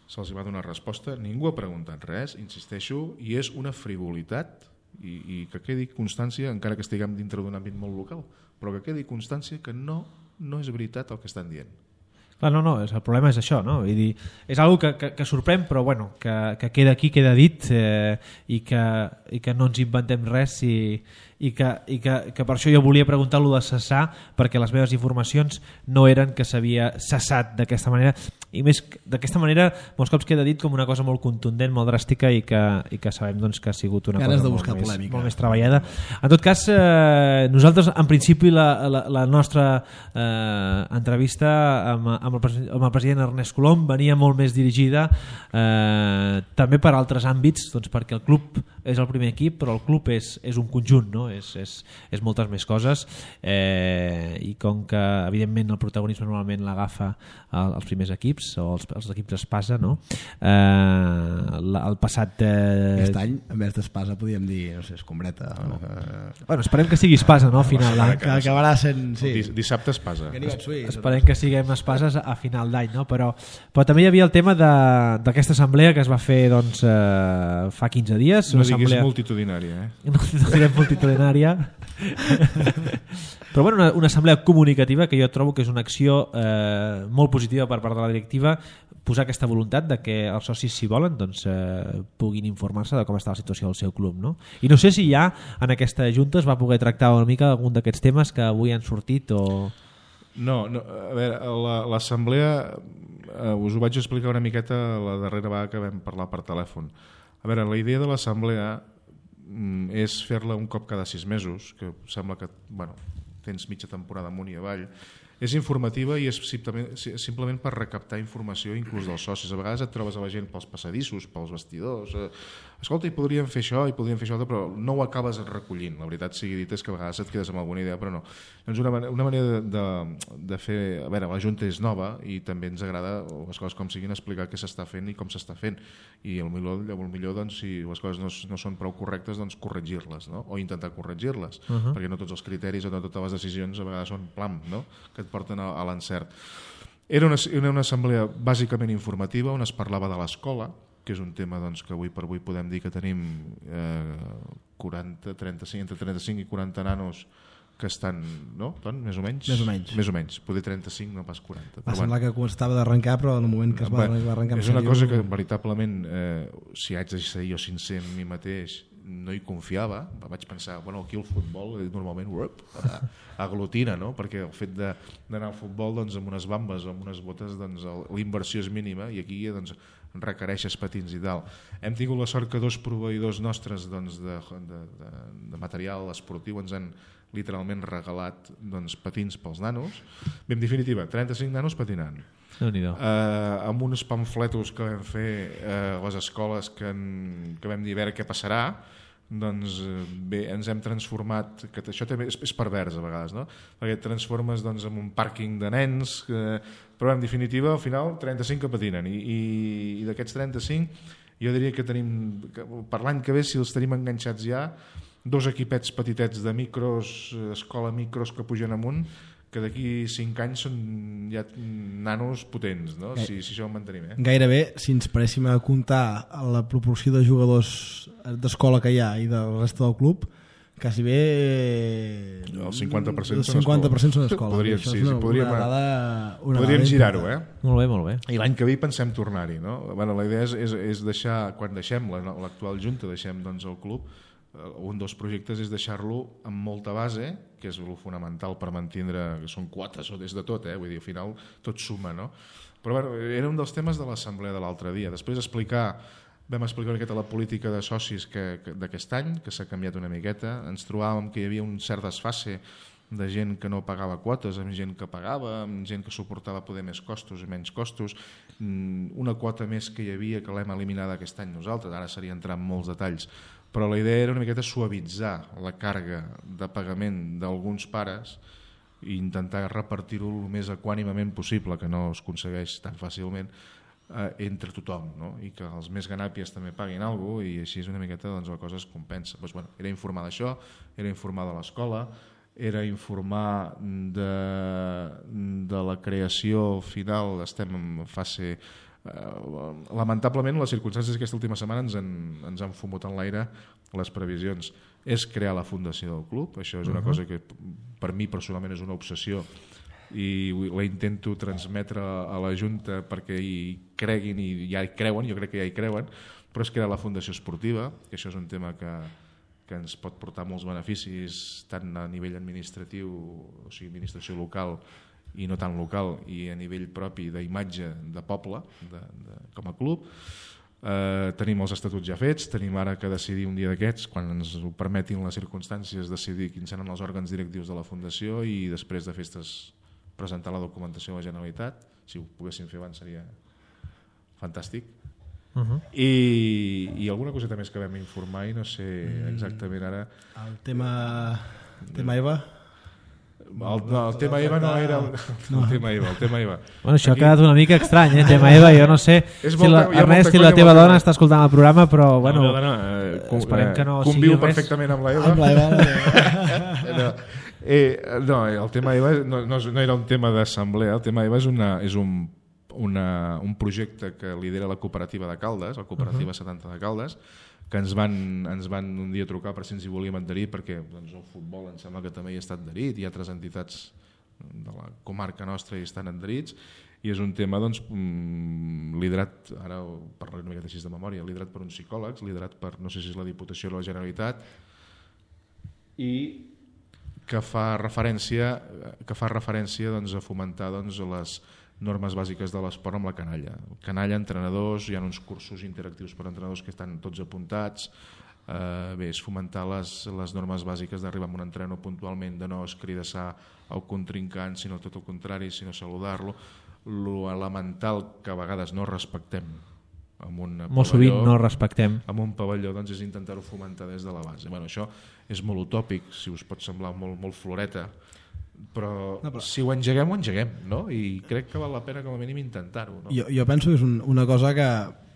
se'ls va donar resposta, ningú ha preguntat res, insisteixo, i és una frivolitat i, i que quedi constància, encara que estiguem dintre d'un àmbit molt local, però que quedi constància que no no és veritat el que estan dient. Clar, no, no, el problema és això, no? Vull dir, és una que, que, que sorprèn, però bueno, que, que queda aquí, queda dit, eh, i, que, i que no ens inventem res, i, i, que, i que, que per això jo volia preguntar-lo de cessar, perquè les meves informacions no eren que s'havia cessat d'aquesta manera, i més d'aquesta manera molts cops queda dit com una cosa molt contundent, molt dràstica i que, i que sabem doncs, que ha sigut una Ganes cosa de molt buscar més, polèmica. molt més treballada. En tot cas, eh, nosaltres en principi la, la, la nostra eh, entrevista amb, amb, el, amb el president Ernest Colom venia molt més dirigida eh, també per altres àmbits, doncs perquè el club és el primer equip, però el club és, és un conjunt, no? és, és, és moltes més coses, eh, i com que evidentment el protagonisme normalment l'agafa el, els primers equips o els, els equips d'espasa, no? eh, la, el passat eh... aquest any en vez d'espasa podíem dir, no sé, escombreta o... eh... bueno, esperem que sigui espasa, no? A final d'any, que acabarà sent, sí. Dissabte espasa. Esperem que siguem espases a final d'any, no? però, però també hi havia el tema d'aquesta assemblea que es va fer doncs, eh, fa quinze dies. No una diguis assemblea... multitudinària, eh? No, no direm multitudinària. Però bueno, una, una assemblea comunicativa que jo trobo que és una acció eh, molt positiva per part de la directiva, posar aquesta voluntat de que els socis, si volen, doncs, eh, puguin informar-se de com està la situació del seu club, no? I no sé si ja en aquesta junta es va poder tractar una mica algun d'aquests temes que avui han sortit o... No, no, a veure, l'assemblea eh, us ho vaig explicar una miqueta la darrera vegada que vam parlar per telèfon. A veure, la idea de l'assemblea mm, és fer-la un cop cada sis mesos, que sembla que bueno, tens mitja temporada amunt i avall. És informativa i és simplement, simplement per recaptar informació inclús dels socis. A vegades et trobes a la gent pels passadissos, pels vestidors, eh, escolta, hi podríem fer això, hi podríem fer això, però no ho acabes recollint. La veritat sigui dit és que a vegades et quedes amb alguna idea, però no. Doncs una, una manera de, de, de fer... A veure, la Junta és nova i també ens agrada les coses com siguin explicar què s'està fent i com s'està fent. I el millor, el millor doncs, si les coses no, no són prou correctes, doncs corregir-les, no? O intentar corregir-les, uh -huh. perquè no tots els criteris o no totes les decisions a vegades són plam, no? Que et porten a, a l'encert. Era una, era una assemblea bàsicament informativa on es parlava de l'escola, que és un tema doncs, que avui per avui podem dir que tenim eh, quaranta, trenta-cinc, entre trenta-cinc i quaranta nanos que estan, no? Ton, més o menys? Més o menys. Més o menys. Poder trenta-cinc, no pas quaranta. Va semblar bueno. que estava d'arrencar, però en el moment que es va, va arrencar... És una cosa que veritablement, eh, si haig de ser jo sincer amb mi mateix, no hi confiava. Vaig pensar, bueno, aquí el futbol normalment uop, aglutina, no? Perquè el fet d'anar al futbol doncs, amb unes bambes o amb unes botes, doncs, la inversió és mínima i aquí doncs, requereixes patins i tal. Hem tingut la sort que dos proveïdors nostres doncs, de, de, de, de material esportiu ens han literalment regalat doncs, patins pels nanos. Bé, en definitiva, trenta-cinc nanos patinant. Eh, amb uns pamfletos que vam fer eh, a les escoles que, en, que vam dir a veure què passarà, doncs bé, ens hem transformat, que això també és, és pervers a vegades, no? Perquè et transformes doncs, en un pàrquing de nens, que, però en definitiva al final trenta-cinc que patinen i, i, i d'aquests trenta-cinc jo diria que tenim, que per l'any que ve si els tenim enganxats ja, dos equipets petitets de micros, escola micros que pugen amunt, que d'aquí cinc anys són ja nanos potents, no? si, si això ho mantenim. Eh? Gairebé, si ens paréssim a comptar la proporció de jugadors d'escola que hi ha i del resta del club, quasi bé... El cinquanta per cent, el cinquanta per cent són d'escola. Podríem, sí, una, sí, podríem, una dada, una podríem girar-ho, eh? Molt bé, molt bé. I l'any que ve pensem tornar-hi, no? Bueno, la idea és, és, és deixar, quan deixem l'actual junta, deixem doncs, el club, un dels projectes és deixar-lo amb molta base, que és el fonamental per mantindre, que són quotes o des de tot, eh? Vull dir, al final tot suma, no? Però bueno, era un dels temes de l'assemblea de l'altre dia. Després explicar, vam explicar una miqueta la política de socis que, que, d'aquest any, que s'ha canviat una miqueta. Ens trobàvem que hi havia un cert desfase de gent que no pagava quotes, amb gent que pagava, amb gent que suportava poder més costos i menys costos. Una quota més que hi havia, que l'hem eliminat aquest any nosaltres, ara seria entrar en molts detalls, però la idea era una miqueta suavitzar la càrrega de pagament d'alguns pares i intentar repartir-ho el més equànimament possible, que no es aconsegueix tan fàcilment, eh, entre tothom, no? I que els més ganàpies també paguin alguna cosa i així és una miqueta doncs, la cosa es compensa. Doncs, bueno, era informar d'això, era informar de l'escola, era informar de, de la creació final, estem en fase... Uh, lamentablement les circumstàncies d'aquesta última setmana ens han, ens han fumut en l'aire les previsions. És crear la fundació del club, això és una uh-huh. cosa que per mi personalment és una obsessió i la intento transmetre a la Junta perquè hi creguin i ja hi creuen, jo crec que ja hi creuen, però és crear la fundació esportiva, que això és un tema que, que ens pot portar molts beneficis tant a nivell administratiu, o sigui, administració local i no tan local, i a nivell propi d'imatge de poble, de, de, com a club. Eh, tenim els estatuts ja fets, tenim ara que decidir un dia d'aquests, quan ens ho permetin les circumstàncies, decidir quins seran els òrgans directius de la Fundació i després de festes presentar la documentació a la Generalitat. Si ho poguéssim fer abans seria fantàstic. Uh-huh. I, i alguna coseta més que vam informar i no sé exactament ara... El tema, el tema EVA... El, no, el tema EVA no era el, no. el tema EVA, el tema EVA. Bueno, això Aquí... ha quedat una mica estrany, eh? El tema EVA, jo no sé és si la, Ernest, si la teva dona està escoltant el programa, però bueno, no, no, no, eh, esperem que no conviu sigui res. Perfectament amb la EVA. Amb la EVA. no, eh, no, el tema EVA no, no, no era un tema d'assemblea, el tema EVA és, una, és un, una, un projecte que lidera la cooperativa de Caldes, la cooperativa uh-huh. setanta de Caldes, que ens van, ens van un dia trucar per si ens hi volíem adherir, perquè doncs, el futbol em sembla que també hi està adherit, hi ha altres entitats de la comarca nostra hi estan adherits, i és un tema doncs, liderat, ara parlaré una miqueta així de memòria, liderat per uns psicòlegs, liderat per, no sé si és la Diputació o la Generalitat, i que fa referència, que fa referència doncs, a fomentar doncs, les normes bàsiques de l'esport amb la canalla. Canalla, entrenadors, hi ha uns cursos interactius per entrenadors que estan tots apuntats. Eh, bé, és fomentar les, les normes bàsiques d'arribar a un entrenador puntualment, de no escridassar el contrincant, sinó tot el contrari, sinó saludar-lo. Lo elemental que a vegades no respectem amb un molt pavelló, sovint no respectem amb un pavelló, doncs és intentar-ho fomentar des de la base. Bueno, això és molt utòpic, si us pot semblar molt, molt floreta, però, no, però si ho engeguem, ho engeguem, no? I crec que val la pena com a mínim intentar-ho, no? Jo, jo penso que és un, una cosa que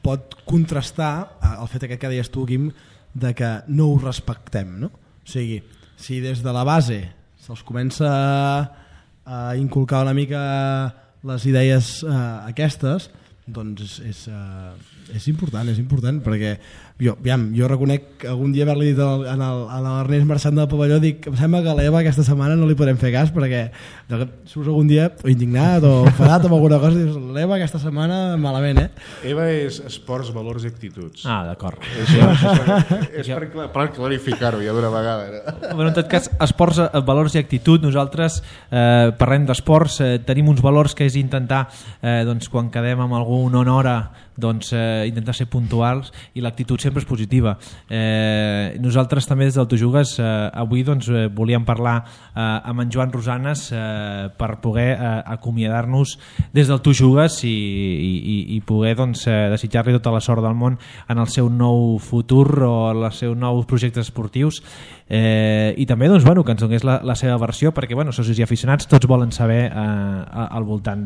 pot contrastar el fet aquest que deies tu, Quim, de que no ho respectem, no? O sigui, si des de la base se'ls comença a inculcar una mica les idees eh, aquestes, doncs és, és, uh, és important, és important, perquè jo, aviam, jo reconec que algun dia haver-li dit al, al, a l'Ernest marxant del pavelló, dic, em sembla que a l'Eva aquesta setmana no li podem fer cas, perquè surts algun dia indignat o enfadat amb alguna cosa i dius, l'Eva aquesta setmana malament, eh? Eva és esports, valors i actituds. Ah, d'acord. Això, això, és per, per clarificar-ho ja d'una vegada. No? Bueno, en tot cas, esports, valors i actitud, nosaltres eh, parlem d'esports, eh, tenim uns valors que és intentar, eh, doncs, quan quedem amb algú una hora, doncs, eh, intentar ser puntuals, i l'actitud sempre és positiva. Eh, nosaltres també des del Tu Jugues eh, avui doncs, eh, volíem parlar eh, amb en Joan Rosanes eh, per poder eh, acomiadar-nos des del Tu Jugues i, i, i poder doncs, eh, desitjar-li tota la sort del món en el seu nou futur o en els seus nous projectes esportius, eh, i també doncs, bueno, que ens donés la, la seva versió, perquè bueno, socis i aficionats tots volen saber eh, al voltant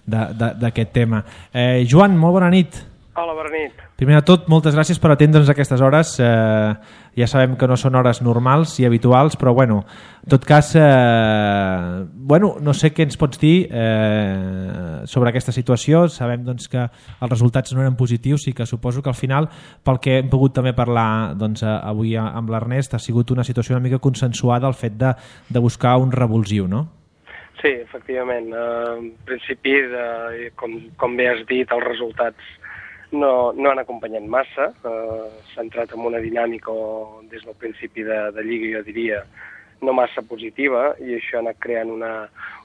d'aquest tema. Eh, Joan, molt bona nit. Hola, bona nit. Primer de tot, moltes gràcies per atendre'ns a aquestes hores. Eh, ja sabem que no són hores normals i habituals, però bueno, en tot cas, eh, bueno, no sé què ens pots dir eh, sobre aquesta situació. Sabem doncs, que els resultats no eren positius i que suposo que al final, pel que hem pogut també parlar doncs, avui amb l'Ernest, ha sigut una situació una mica consensuada el fet de, de buscar un revulsiu, no? Sí, efectivament. Uh, en principi, de, com, com bé has dit, els resultats no, no han acompanyat massa. Uh, S'ha entrat en una dinàmica des del principi de, de Lliga, jo diria, no massa positiva, i això ha anat creant una,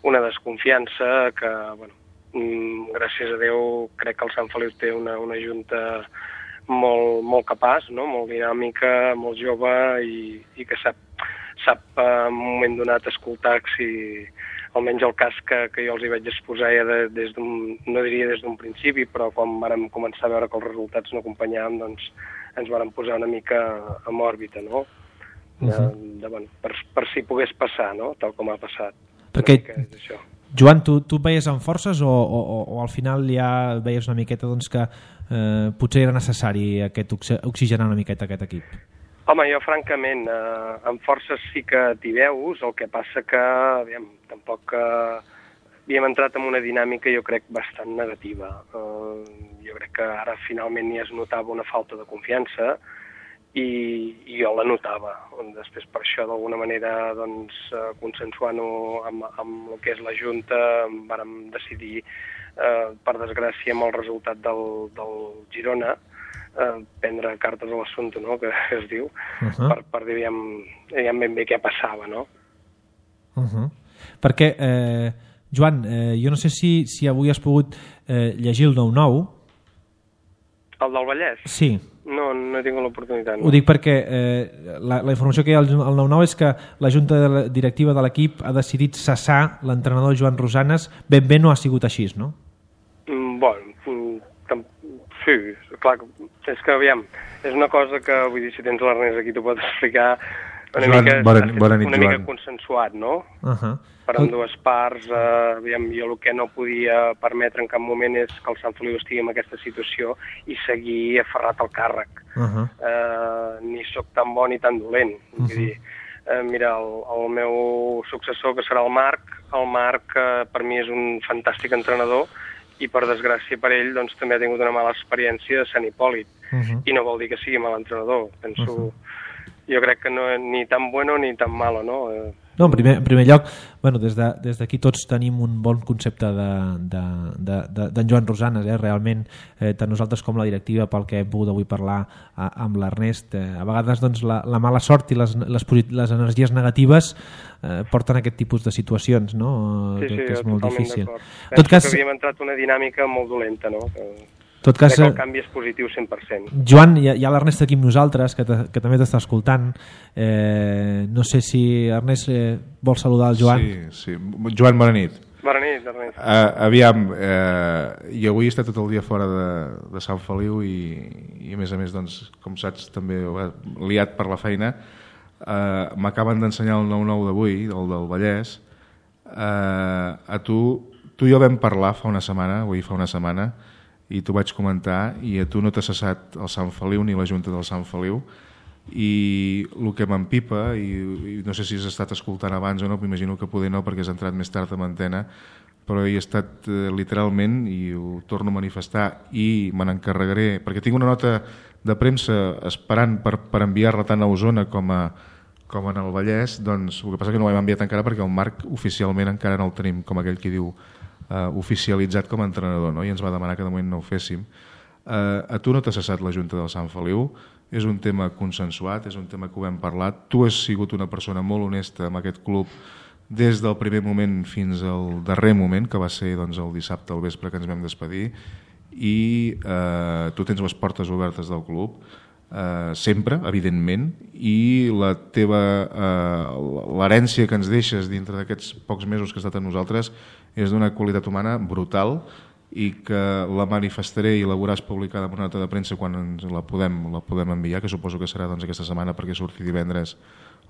una desconfiança que, bueno, mm, gràcies a Déu, crec que el Sant Feliu té una, una junta molt, molt capaç, no? Molt dinàmica, molt jove, i, i que sap, sap en un moment donat escoltar si almenys el cas que, que jo els hi vaig exposar ja de, des d'un, no diria des d'un principi, però quan vàrem començar a veure que els resultats no acompanyaven, doncs ens vàrem posar una mica en òrbita, no? De, uh-huh. de, bueno, per, per si pogués passar, no? Tal com ha passat. Perquè, Joan, tu, tu veies amb forces o, o, o al final ja veies una miqueta doncs, que eh, potser era necessari aquest oxigenar una miqueta aquest equip? Home, jo francament, eh, amb forces sí que t'hi veus, el que passa que, aviam, tampoc eh, havíem entrat en una dinàmica, jo crec, bastant negativa. Eh, jo crec que ara finalment ja es notava una falta de confiança i, i jo la notava. Després per això, d'alguna manera, doncs, eh, consensuant-ho amb, amb el que és la Junta, vàrem decidir, eh, per desgràcia, amb el resultat del, del Girona, Eh, prendre cartes a l'assumpte, no?, que es diu, uh-huh. per, per dir, aviam, aviam ben bé què passava, no? Uh-huh. Perquè, eh, Joan, eh, jo no sé si, si avui has pogut eh, llegir el nou nou. El del Vallès? Sí. No, no he tingut l'oportunitat. No. Ho dic perquè eh, la, la informació que hi ha al nou nou és que la junta de la directiva de l'equip ha decidit cessar l'entrenador Joan Rosanes. Ben bé no ha sigut així, no? Mm, bueno, mm, sí, clar, és que aviam, és una cosa que, vull dir, si tens l'Ernest aquí t'ho pot explicar, una Joan, mica, bona, bona nit, una mica Joan. consensuat, no? Uh -huh. Per amb dues parts, eh, aviam, jo el que no podia permetre en cap moment és que el Sant Feliu estigui en aquesta situació i seguir aferrat al càrrec. Uh -huh. eh, ni sóc tan bo ni tan dolent. Uh -huh. Vull dir, eh, mira, el, el meu successor, que serà el Marc, el Marc eh, per mi és un fantàstic entrenador i per desgràcia per ell doncs, també ha tingut una mala experiència a Sant Hipòlit. Uh -huh. I no vol dir que sigui mal entrenador. Penso, uh -huh. Jo crec que no és ni tan bueno ni tan malo, no? Eh, No, en primer, en primer lloc, bueno, des d'aquí de, des tots tenim un bon concepte d'en de, de, de, de Joan Rosanes, eh? Realment, eh, tant nosaltres com la directiva, pel que hem pogut avui parlar a, amb l'Ernest, eh, a vegades doncs, la, la mala sort i les, les, les energies negatives eh, porten a aquest tipus de situacions, no? Sí, sí, que, que és molt difícil. Penso tot cas, que havíem entrat una dinàmica molt dolenta, no? Que... tot cas, crec que el canvi és positiu cent per cent. Joan, hi ha, hi ha l'Ernest aquí amb nosaltres, que, que també t'està escoltant. Eh, no sé si Ernest eh, vol saludar el Joan. Sí, sí. Joan, bona nit. Bona nit, Ernest. Uh, aviam, uh, jo avui he estat tot el dia fora de, de Sant Feliu i, i a més a més, doncs, com saps, també liat per la feina. Uh, m'acaben d'ensenyar el nou nou d'avui, el del Vallès. Uh, a tu, tu i jo vam parlar fa una setmana, avui fa una setmana, i t'ho vaig comentar, i a tu no t'ha cessat el Sant Feliu ni la Junta del Sant Feliu, i el que m'empipa, i, i no sé si has estat escoltant abans o no, m'imagino que poder no perquè has entrat més tard amb antena, però hi he estat eh, literalment, i ho torno a manifestar, i me n'encarregaré, perquè tinc una nota de premsa esperant per, per enviar-la tant a Osona com a com en el Vallès, doncs el que passa que no ho hem enviat encara perquè el Marc oficialment encara no el tenim, com aquell que diu Uh, oficialitzat com a entrenador, no? I ens va demanar que de moment no ho féssim. Uh, a tu no t'ha cessat la Junta del Sant Feliu, és un tema consensuat, és un tema que ho hem parlat, tu has sigut una persona molt honesta amb aquest club des del primer moment fins al darrer moment, que va ser doncs, el dissabte al vespre que ens vam despedir, i uh, tu tens les portes obertes del club, Uh, sempre, evidentment, i la teva uh, l'herència que ens deixes dintre d'aquests pocs mesos que has estat amb nosaltres és d'una qualitat humana brutal i que la manifestaré i la veuràs publicada en una nota de premsa quan ens la podem, la podem enviar, que suposo que serà doncs, aquesta setmana perquè surti divendres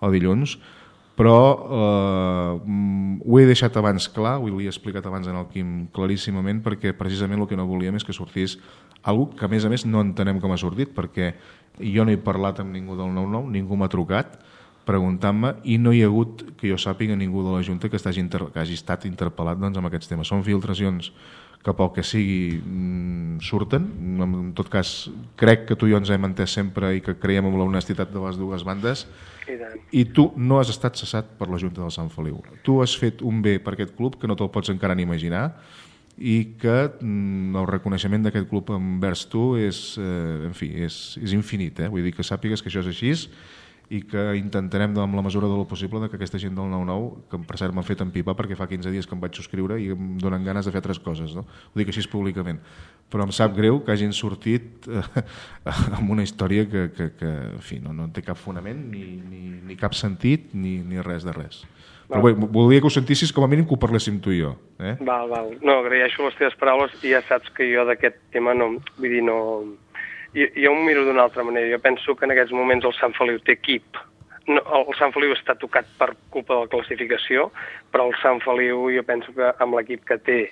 o dilluns, però eh, ho he deixat abans clar, ho li he explicat abans en el Quim claríssimament, perquè precisament el que no volíem és que sortís algo que a més a més no entenem com ha sortit, perquè jo no he parlat amb ningú del nou nou, ningú m'ha trucat preguntant-me i no hi ha hagut, que jo sàpiga, ningú de la Junta que, inter... que hagi estat interpel·lat doncs, amb aquests temes. Són filtracions que pel que sigui mmm, surten. En tot cas, crec que tu i jo ens hem entès sempre i que creiem en l'honestitat de les dues bandes. I, I tu no has estat cessat per la Junta del Sant Feliu. Tu has fet un bé per aquest club que no te'l pots encara ni imaginar i que mm, el reconeixement d'aquest club envers tu és, eh, en fi, és, és infinit. Eh? Vull dir que sàpigues que això és així i que intentarem, amb la mesura del possible, de que aquesta gent del nou nou, que per cert m'han fet empipar perquè fa quinze dies que em vaig subscriure i em donen ganes de fer altres coses, no? Ho dic així públicament. Però em sap greu que hagin sortit eh, amb una història que, que, que en fi, no, no té cap fonament, ni, ni, ni cap sentit, ni, ni res de res. Però bé, voldria que ho sentissis com a mínim que ho parléssim tu i jo. Eh? Val, val. No, agraeixo les teves paraules i ja saps que jo d'aquest tema no... Vull dir, no... Jo, jo ho miro d'una altra manera. Jo penso que en aquests moments el Sant Feliu té equip. No, el Sant Feliu està tocat per culpa de la classificació, però el Sant Feliu jo penso que amb l'equip que té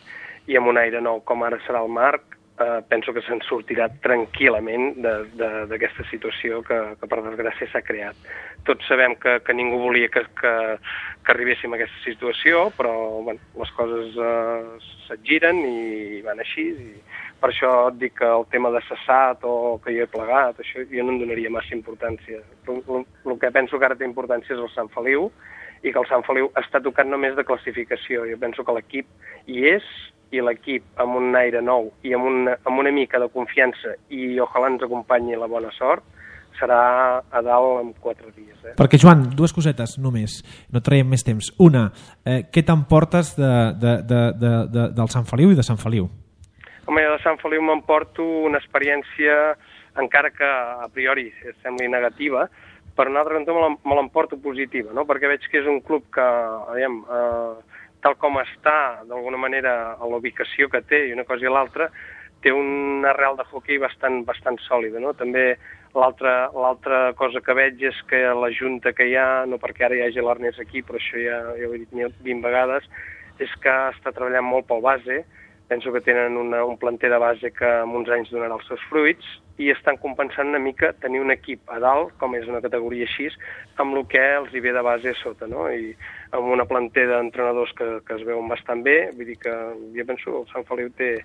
i amb un aire nou com ara serà el Marc, eh, penso que se'n sortirà tranquil·lament d'aquesta situació que, que per desgràcia s'ha creat. Tots sabem que, que ningú volia que, que, que arribéssim a aquesta situació, però bueno, les coses eh, se't giren i van així. I per això et dic que el tema de cessat o que jo he plegat, això jo no em donaria massa importància. El, el, el que penso que ara té importància és el Sant Feliu i que el Sant Feliu està tocat només de classificació. Jo penso que l'equip hi és i l'equip amb un aire nou i amb una, amb una mica de confiança i ojalà ens acompanyi la bona sort, serà a dalt en quatre dies. Eh? Perquè, Joan, dues cosetes només, no traiem més temps. Una, eh, què t'emportes de, de, de, de, de, del Sant Feliu i de Sant Feliu? Home, jo de Sant Feliu m'emporto una experiència, encara que a priori sembli negativa, per un altre cantó me l'emporto positiva, no? Perquè veig que és un club que, aviam, eh, tal com està, d'alguna manera, a la ubicació que té i una cosa i l'altra, té un arrel de hoquei bastant, bastant sòlida, no? També l'altra l'altra cosa que veig és que la junta que hi ha, no perquè ara hi hagi l'Ernest aquí, però això ja, ja ho he dit vint vegades, és que està treballant molt pel base. Penso que tenen una, un planter de base que en uns anys donarà els seus fruits i estan compensant una mica tenir un equip a dalt, com és una categoria així, amb el que els hi ve de base a sota, no? I amb una planter d'entrenadors que, que es veuen bastant bé, vull dir que jo penso que el Sant Feliu té,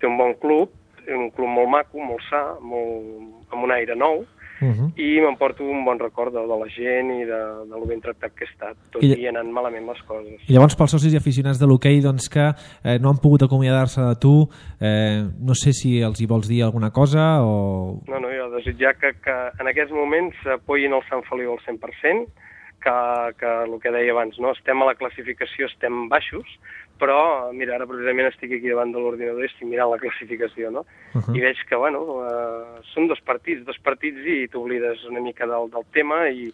té un bon club, un club molt maco, molt sa, molt, amb un aire nou, uh -huh. i m'emporto un bon record de, de la gent i de, de lo ben tractat que he estat, tot I, i anant malament les coses. I llavors pels socis i aficionats de l'hoquei doncs, que eh, no han pogut acomiadar-se de tu, eh, no sé si els hi vols dir alguna cosa o... No, no, jo desitjar que, que en aquests moments apoyin el Sant Feliu al cent per cent, que, que el que deia abans, no? Estem a la classificació, estem baixos, però, mira, ara precisament estic aquí davant de l'ordinador i estic mirant la classificació, no? Uh -huh. I veig que, bueno, uh, són dos partits, dos partits i t'oblides una mica del, del tema i,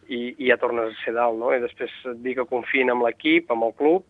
i, i ja tornes a ser dalt, no? I després et dic que confien amb l'equip, amb el club,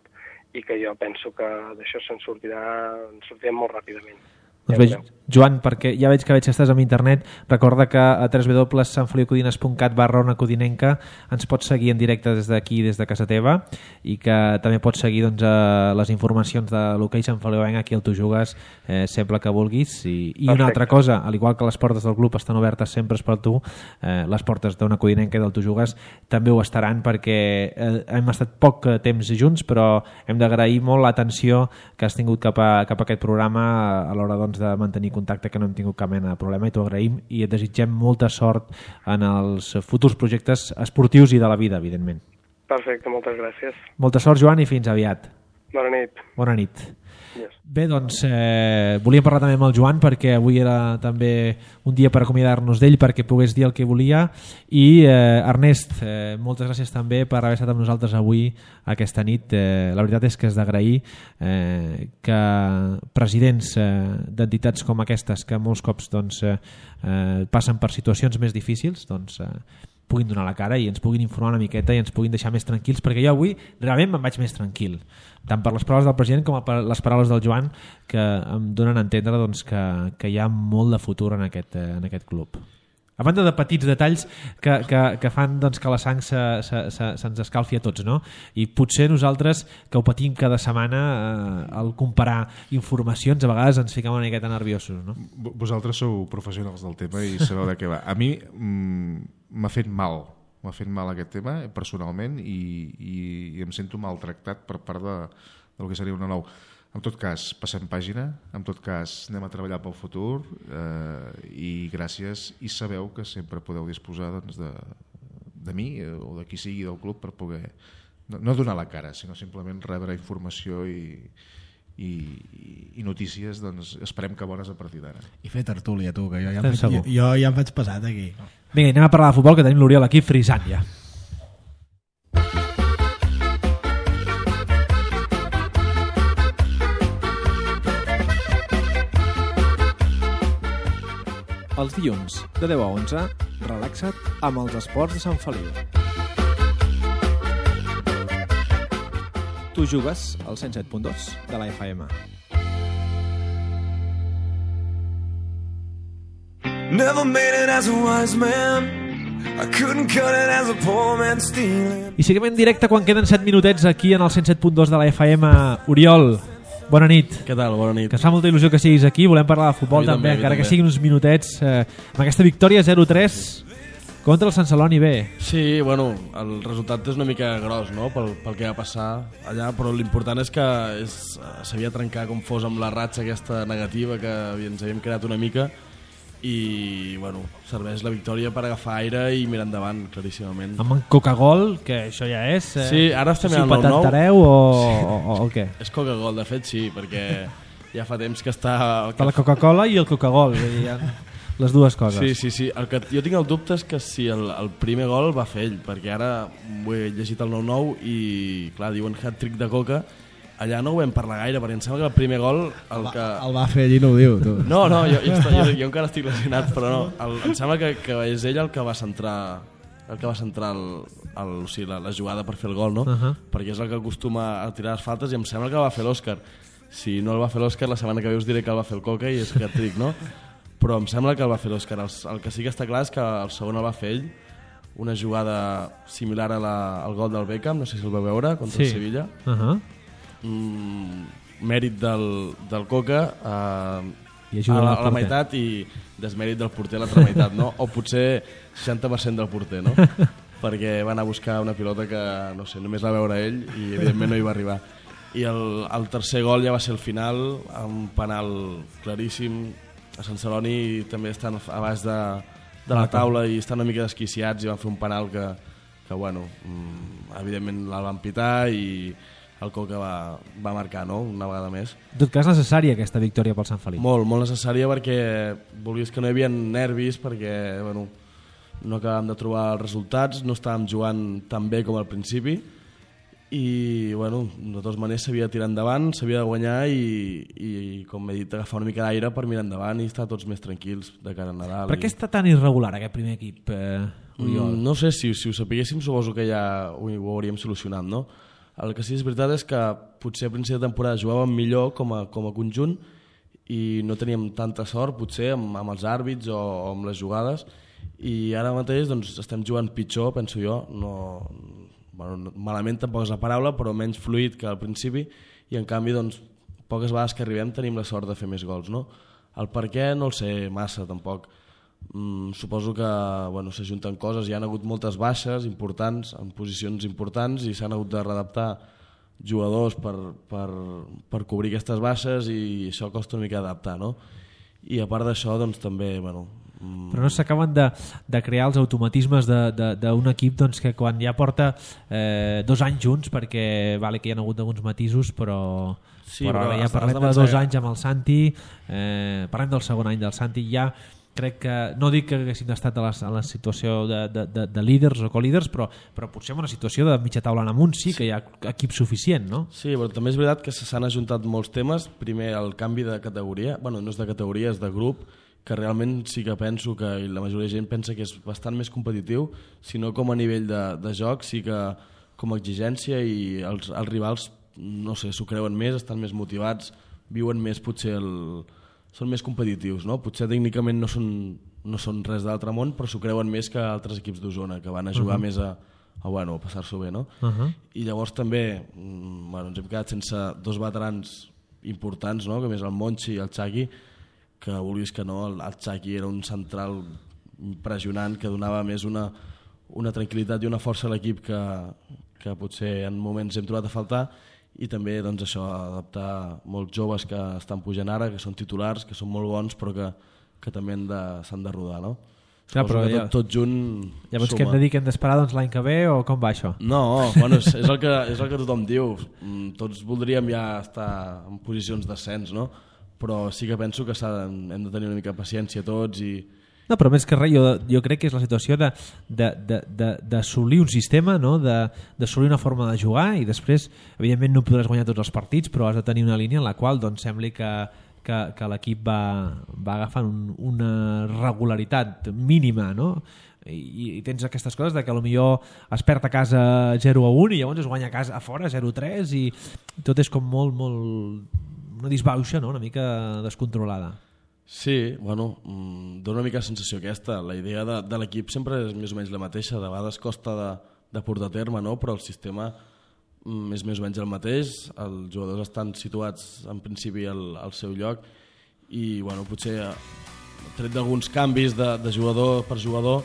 i que jo penso que d'això se'n sortirà, en sortirem molt ràpidament. Doncs bé, Joan, perquè ja veig que veig que estàs a internet, recorda que a w w w punt sant feliu codines punt cat barra ona codinenca ens pots seguir en directe des d'aquí, des de casa teva, i que també pots seguir doncs, les informacions de l'hoquei Sant Feliuenc aquí al Tu Jugues eh, sempre que vulguis. I, i una altra cosa, al igual que les portes del club estan obertes sempre per tu, eh, les portes d'Ona Codinenca i del Tu Jugues també ho estaran, perquè eh, hem estat poc temps junts, però hem d'agrair molt l'atenció que has tingut cap a, cap a aquest programa a l'hora doncs, de mantenir contacte, que no hem tingut cap mena de problema, i t'ho agraïm i et desitgem molta sort en els futurs projectes esportius i de la vida, evidentment. Perfecte, moltes gràcies. Molta sort, Joan, i fins aviat. Bona nit. Bona nit. Yes. Bé, doncs eh, volíem parlar també amb el Joan perquè avui era també un dia per acomiadar-nos d'ell, perquè pogués dir el que volia, i eh, Ernest, eh, moltes gràcies també per haver estat amb nosaltres avui aquesta nit. Eh, la veritat és que és d'agrair eh, que presidents eh, d'entitats com aquestes, que molts cops doncs, eh, eh, passen per situacions més difícils, doncs eh, puguin donar la cara i ens puguin informar una miqueta i ens puguin deixar més tranquils, perquè jo avui realment me'n vaig més tranquil, tant per les paraules del president com per les paraules del Joan, que em donen a entendre doncs, que, que hi ha molt de futur en aquest, en aquest club. A banda de petits detalls que, que, que fan doncs, que la sang se'ns se, se, se escalfi a tots, no? I potser nosaltres, que ho patim cada setmana, eh, al comparar informacions, a vegades ens fiquem una miqueta nerviosos, no? Vosaltres sou professionals del tema i sabeu de què va. A mi mm, m'ha fet mal, m'ha fet mal aquest tema personalment, i, i, i em sento maltractat per part de, del que seria una nou. En tot cas, passem pàgina, en tot cas anem a treballar pel futur, eh, i gràcies, i sabeu que sempre podeu disposar doncs, de, de mi o de qui sigui del club per poder no, no donar la cara, sinó simplement rebre informació i, i, i notícies, doncs esperem que bones a partir d'ara. I fer tertúlia, tu, que jo ja, em faig, jo, jo ja em faig pesat aquí. Vinga, anem a parlar de futbol, que tenim l'Oriol aquí frisant ja. Els dilluns, de deu a onze, relaxa't amb els esports de Sant Feliu. Tu jugues al cent set punt dos de la F M. Never made it as a wise man. I couldn't cut it as a poor man stealing. I seguim en directe quan queden set minutets aquí en el cent set punt dos de la F M. Oriol, bona nit. Què tal? Bona nit. Que ens fa molta il·lusió que siguis aquí. Volem parlar de futbol també, també, encara també. Que siguin uns minutets. Eh, amb aquesta victòria zero tres contra el Sant Celoni B. Sí, bueno, el resultat és una mica gros, no?, pel, pel que va passar allà, però l'important és que és, s'havia de trencar com fos amb la ratxa aquesta negativa que ens havíem creat una mica, i bueno, serveix la victòria per agafar aire i mirar endavant, claríssimament. Amb en Coca-Gol, que això ja és... Eh, sí, ara estem si mirant el nou. Si patentareu o, o, o què? És Coca-Gol, de fet sí, perquè ja fa temps que està... Que la Coca-Cola i el Coca-Gol. Ja... les dues coses. Sí, sí, sí. El que jo tinc el dubte és que si el, el primer gol va fer ell, perquè ara ho he llegit al nou nou i, clar, diuen hat-trick de Coca. Allà no ho vam parlar gaire, perquè em sembla que el primer gol... El, que... el va fer ell i no ho diu, tu. No, no, jo, jo, jo, jo encara estic lesionat, però no. El, em sembla que, que és ell el que va centrar el que va centrar el, el, o sigui, la, la jugada per fer el gol, no? Uh-huh. Perquè és el que acostuma a tirar les faltes i em sembla que el va fer l'Òscar. Si no el va fer l'Òscar, la setmana que ve us diré que el va fer el Coca i és hat-trick, no? Però em sembla que el va fer l'Òscar. El, el que sí que està clar és que el segon el va fer ell, una jugada similar a la, al gol del Beckham, no sé si el vau veure, contra sí. el Sevilla. Uh-huh. Mm, mèrit del, del Coca eh, I a, la, a la meitat i desmèrit del porter a l'altra meitat, no? O potser seixanta per cent del porter, no? Perquè va anar a buscar una pilota que, no sé, només la va veure ell i evidentment no hi va arribar. I el, el tercer gol ja va ser el final, amb un penal claríssim. A Sant Celoni també estan a baix de, de la taula i estan una mica desquiciats i van fer un penal que, que bueno, evidentment el van pitar i el Coca va, va marcar, no?, una vegada més. En tot cas, necessària aquesta victòria pel Sant Feliu. Molt, molt necessària perquè volies que no hi havia nervis, perquè bueno, no acabàvem de trobar els resultats, no estàvem jugant tan bé com al principi i bueno, de totes maneres s'havia de tirar endavant, s'havia de guanyar i, i com he dit, agafar una mica d'aire per mirar endavant i estar tots més tranquils de cara a Nadal. Per què està tan irregular aquest primer equip, eh, Oriol? Mm, no sé, si, si ho sapiguéssim suposo que ja ho, ho hauríem solucionat, no? El que sí és veritat és que potser a principi de temporada jugàvem millor com a, com a conjunt i no teníem tanta sort potser amb, amb els àrbits o, o amb les jugades i ara mateix doncs, estem jugant pitjor, penso jo. No, bueno, malament tampoc és la paraula, però menys fluid que al principi i en canvi doncs, poques vegades que arribem tenim la sort de fer més gols, no? El per què no el sé massa tampoc. Mm, suposo que bueno, s'ajunten coses, hi ha hagut moltes baixes importants en posicions importants i s'han hagut de readaptar jugadors per, per, per cobrir aquestes baixes i això costa una mica adaptar, no? I a part d'això doncs també bueno, mm... però no s'acaben de, de crear els automatismes d'un equip doncs, que quan ja porta eh, dos anys junts, perquè vale que hi ha hagut alguns matisos però, sí, però, però ara ja parlem de dos anys amb el Santi, eh, parlem del segon any del Santi, ja crec que, no dic que haguessin estat a la, a la situació de, de, de, de líders o co-líders, però, però potser en una situació de mitja taula en amunt sí que hi ha equip suficient, no? Sí, però també és veritat que s'han ajuntat molts temes. Primer, el canvi de categoria, bueno, no és de categoria, és de grup, que realment sí que penso que i la majoria de gent pensa que és bastant més competitiu, sinó com a nivell de, de joc, sí que com a exigència i els, els rivals, no sé, s'ho creuen més, estan més motivats, viuen més potser el... són més competitius, no? Potser tècnicament no són, no són res d'altre món, però s'ho creuen més que altres equips d'Osona, que van a jugar uh -huh. més a, a, bueno, a passar-s'ho bé, no? Uh -huh. I llavors també bueno, ens hem quedat sense dos veterans importants, no? Com és el Monchi i el Xaqui, que vulguis que no, el, el Xaqui era un central impressionant que donava més una, una tranquil·litat i una força a l'equip que, que potser en moments hem trobat a faltar. I també doncs, això, adaptar molts joves que estan pujant ara, que són titulars, que són molt bons, però que, que també s'han de rodar, no? Clar, però ja, tot, tot junt ja veus que hem de dir que hem d'esperar doncs, l'any que ve o com va això? No, bueno, és, és, el que, és el que tothom diu. Tots voldríem ja estar en posicions d'ascens, no? Però sí que penso que hem de tenir una mica de paciència tots i... No, però més que res, jo, jo crec que és la situació d'assolir un sistema, no? d'assolir una forma de jugar i després, evidentment, no podràs guanyar tots els partits, però has de tenir una línia en la qual doncs, sembli que, que, que l'equip va, va agafant un, una regularitat mínima, no? I, i tens aquestes coses de que potser es perd a casa zero a un i llavors es guanya a casa a fora zero a tres i tot és com molt, molt una disbauxa, no? Una mica descontrolada. Sí, bueno, dona una mica la sensació aquesta. La idea de, de l'equip sempre és més o menys la mateixa, de vegades costa de, de portar a terme, no? Però el sistema és més o menys el mateix, els jugadors estan situats en principi al, al seu lloc i bueno, potser tret d'alguns canvis de, de jugador per jugador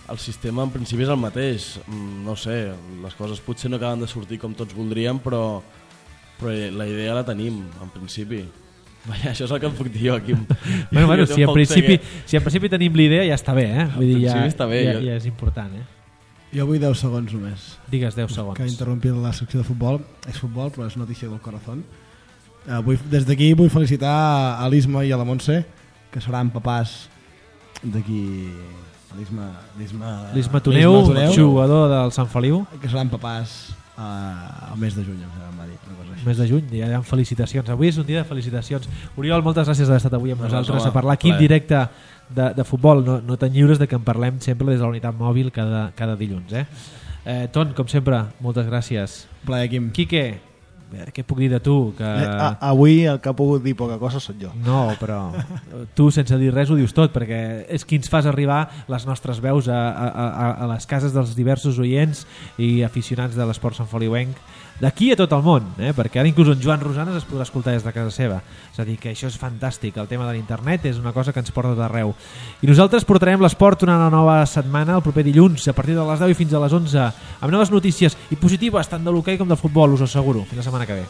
el sistema en principi és el mateix. No sé, les coses potser no acaben de sortir com tots voldríem, però, però la idea la tenim en principi. Vaja, això és el que em puc dir jo aquí. Bueno, bueno, si, en principi, que... si en principi tenim l'idea ja està bé, eh? Vull dir, ja, està bé, ja, jo... ja és important, eh? Jo vull deu segons només. Digues deu segons. Que interrompir la secció de futbol. És futbol, però és notícia del corazón. Uh, vull, des d'aquí vull felicitar a l'Isma i a la Montse, que seran papàs d'aquí l'Isma l'Isma Toneu, jugador del Sant Feliu, que seran papàs uh, al mes de juny, em va dir una cosa així. Mes de juny, ja hi ha felicitacions. Avui és un dia de felicitacions. Oriol, moltes gràcies d'haver estat avui amb no, nosaltres no, a parlar aquí en directe de, de futbol. No, no te'n lliures de que en parlem sempre des de la unitat mòbil cada, cada dilluns. Eh? Eh, Ton, com sempre, moltes gràcies. Plaer, Quim. Quique, què puc dir de tu? Que... A, avui el que ha pogut dir poca cosa sóc jo. No, però tu sense dir res ho dius tot, perquè és qui ens fas arribar les nostres veus a, a, a, a les cases dels diversos oients i aficionats de l'esport santfeliuenc d'aquí a tot el món, eh? Perquè ara inclús en Joan Rosanes es podrà escoltar des de casa seva. És a dir, que això és fantàstic. El tema de l'internet és una cosa que ens porta d'arreu. I nosaltres portarem l'esport una nova setmana, el proper dilluns, a partir de les deu i fins a les onze, amb noves notícies i positives tant de l'hoquei com del futbol, us ho asseguro. Fins la setmana que ve.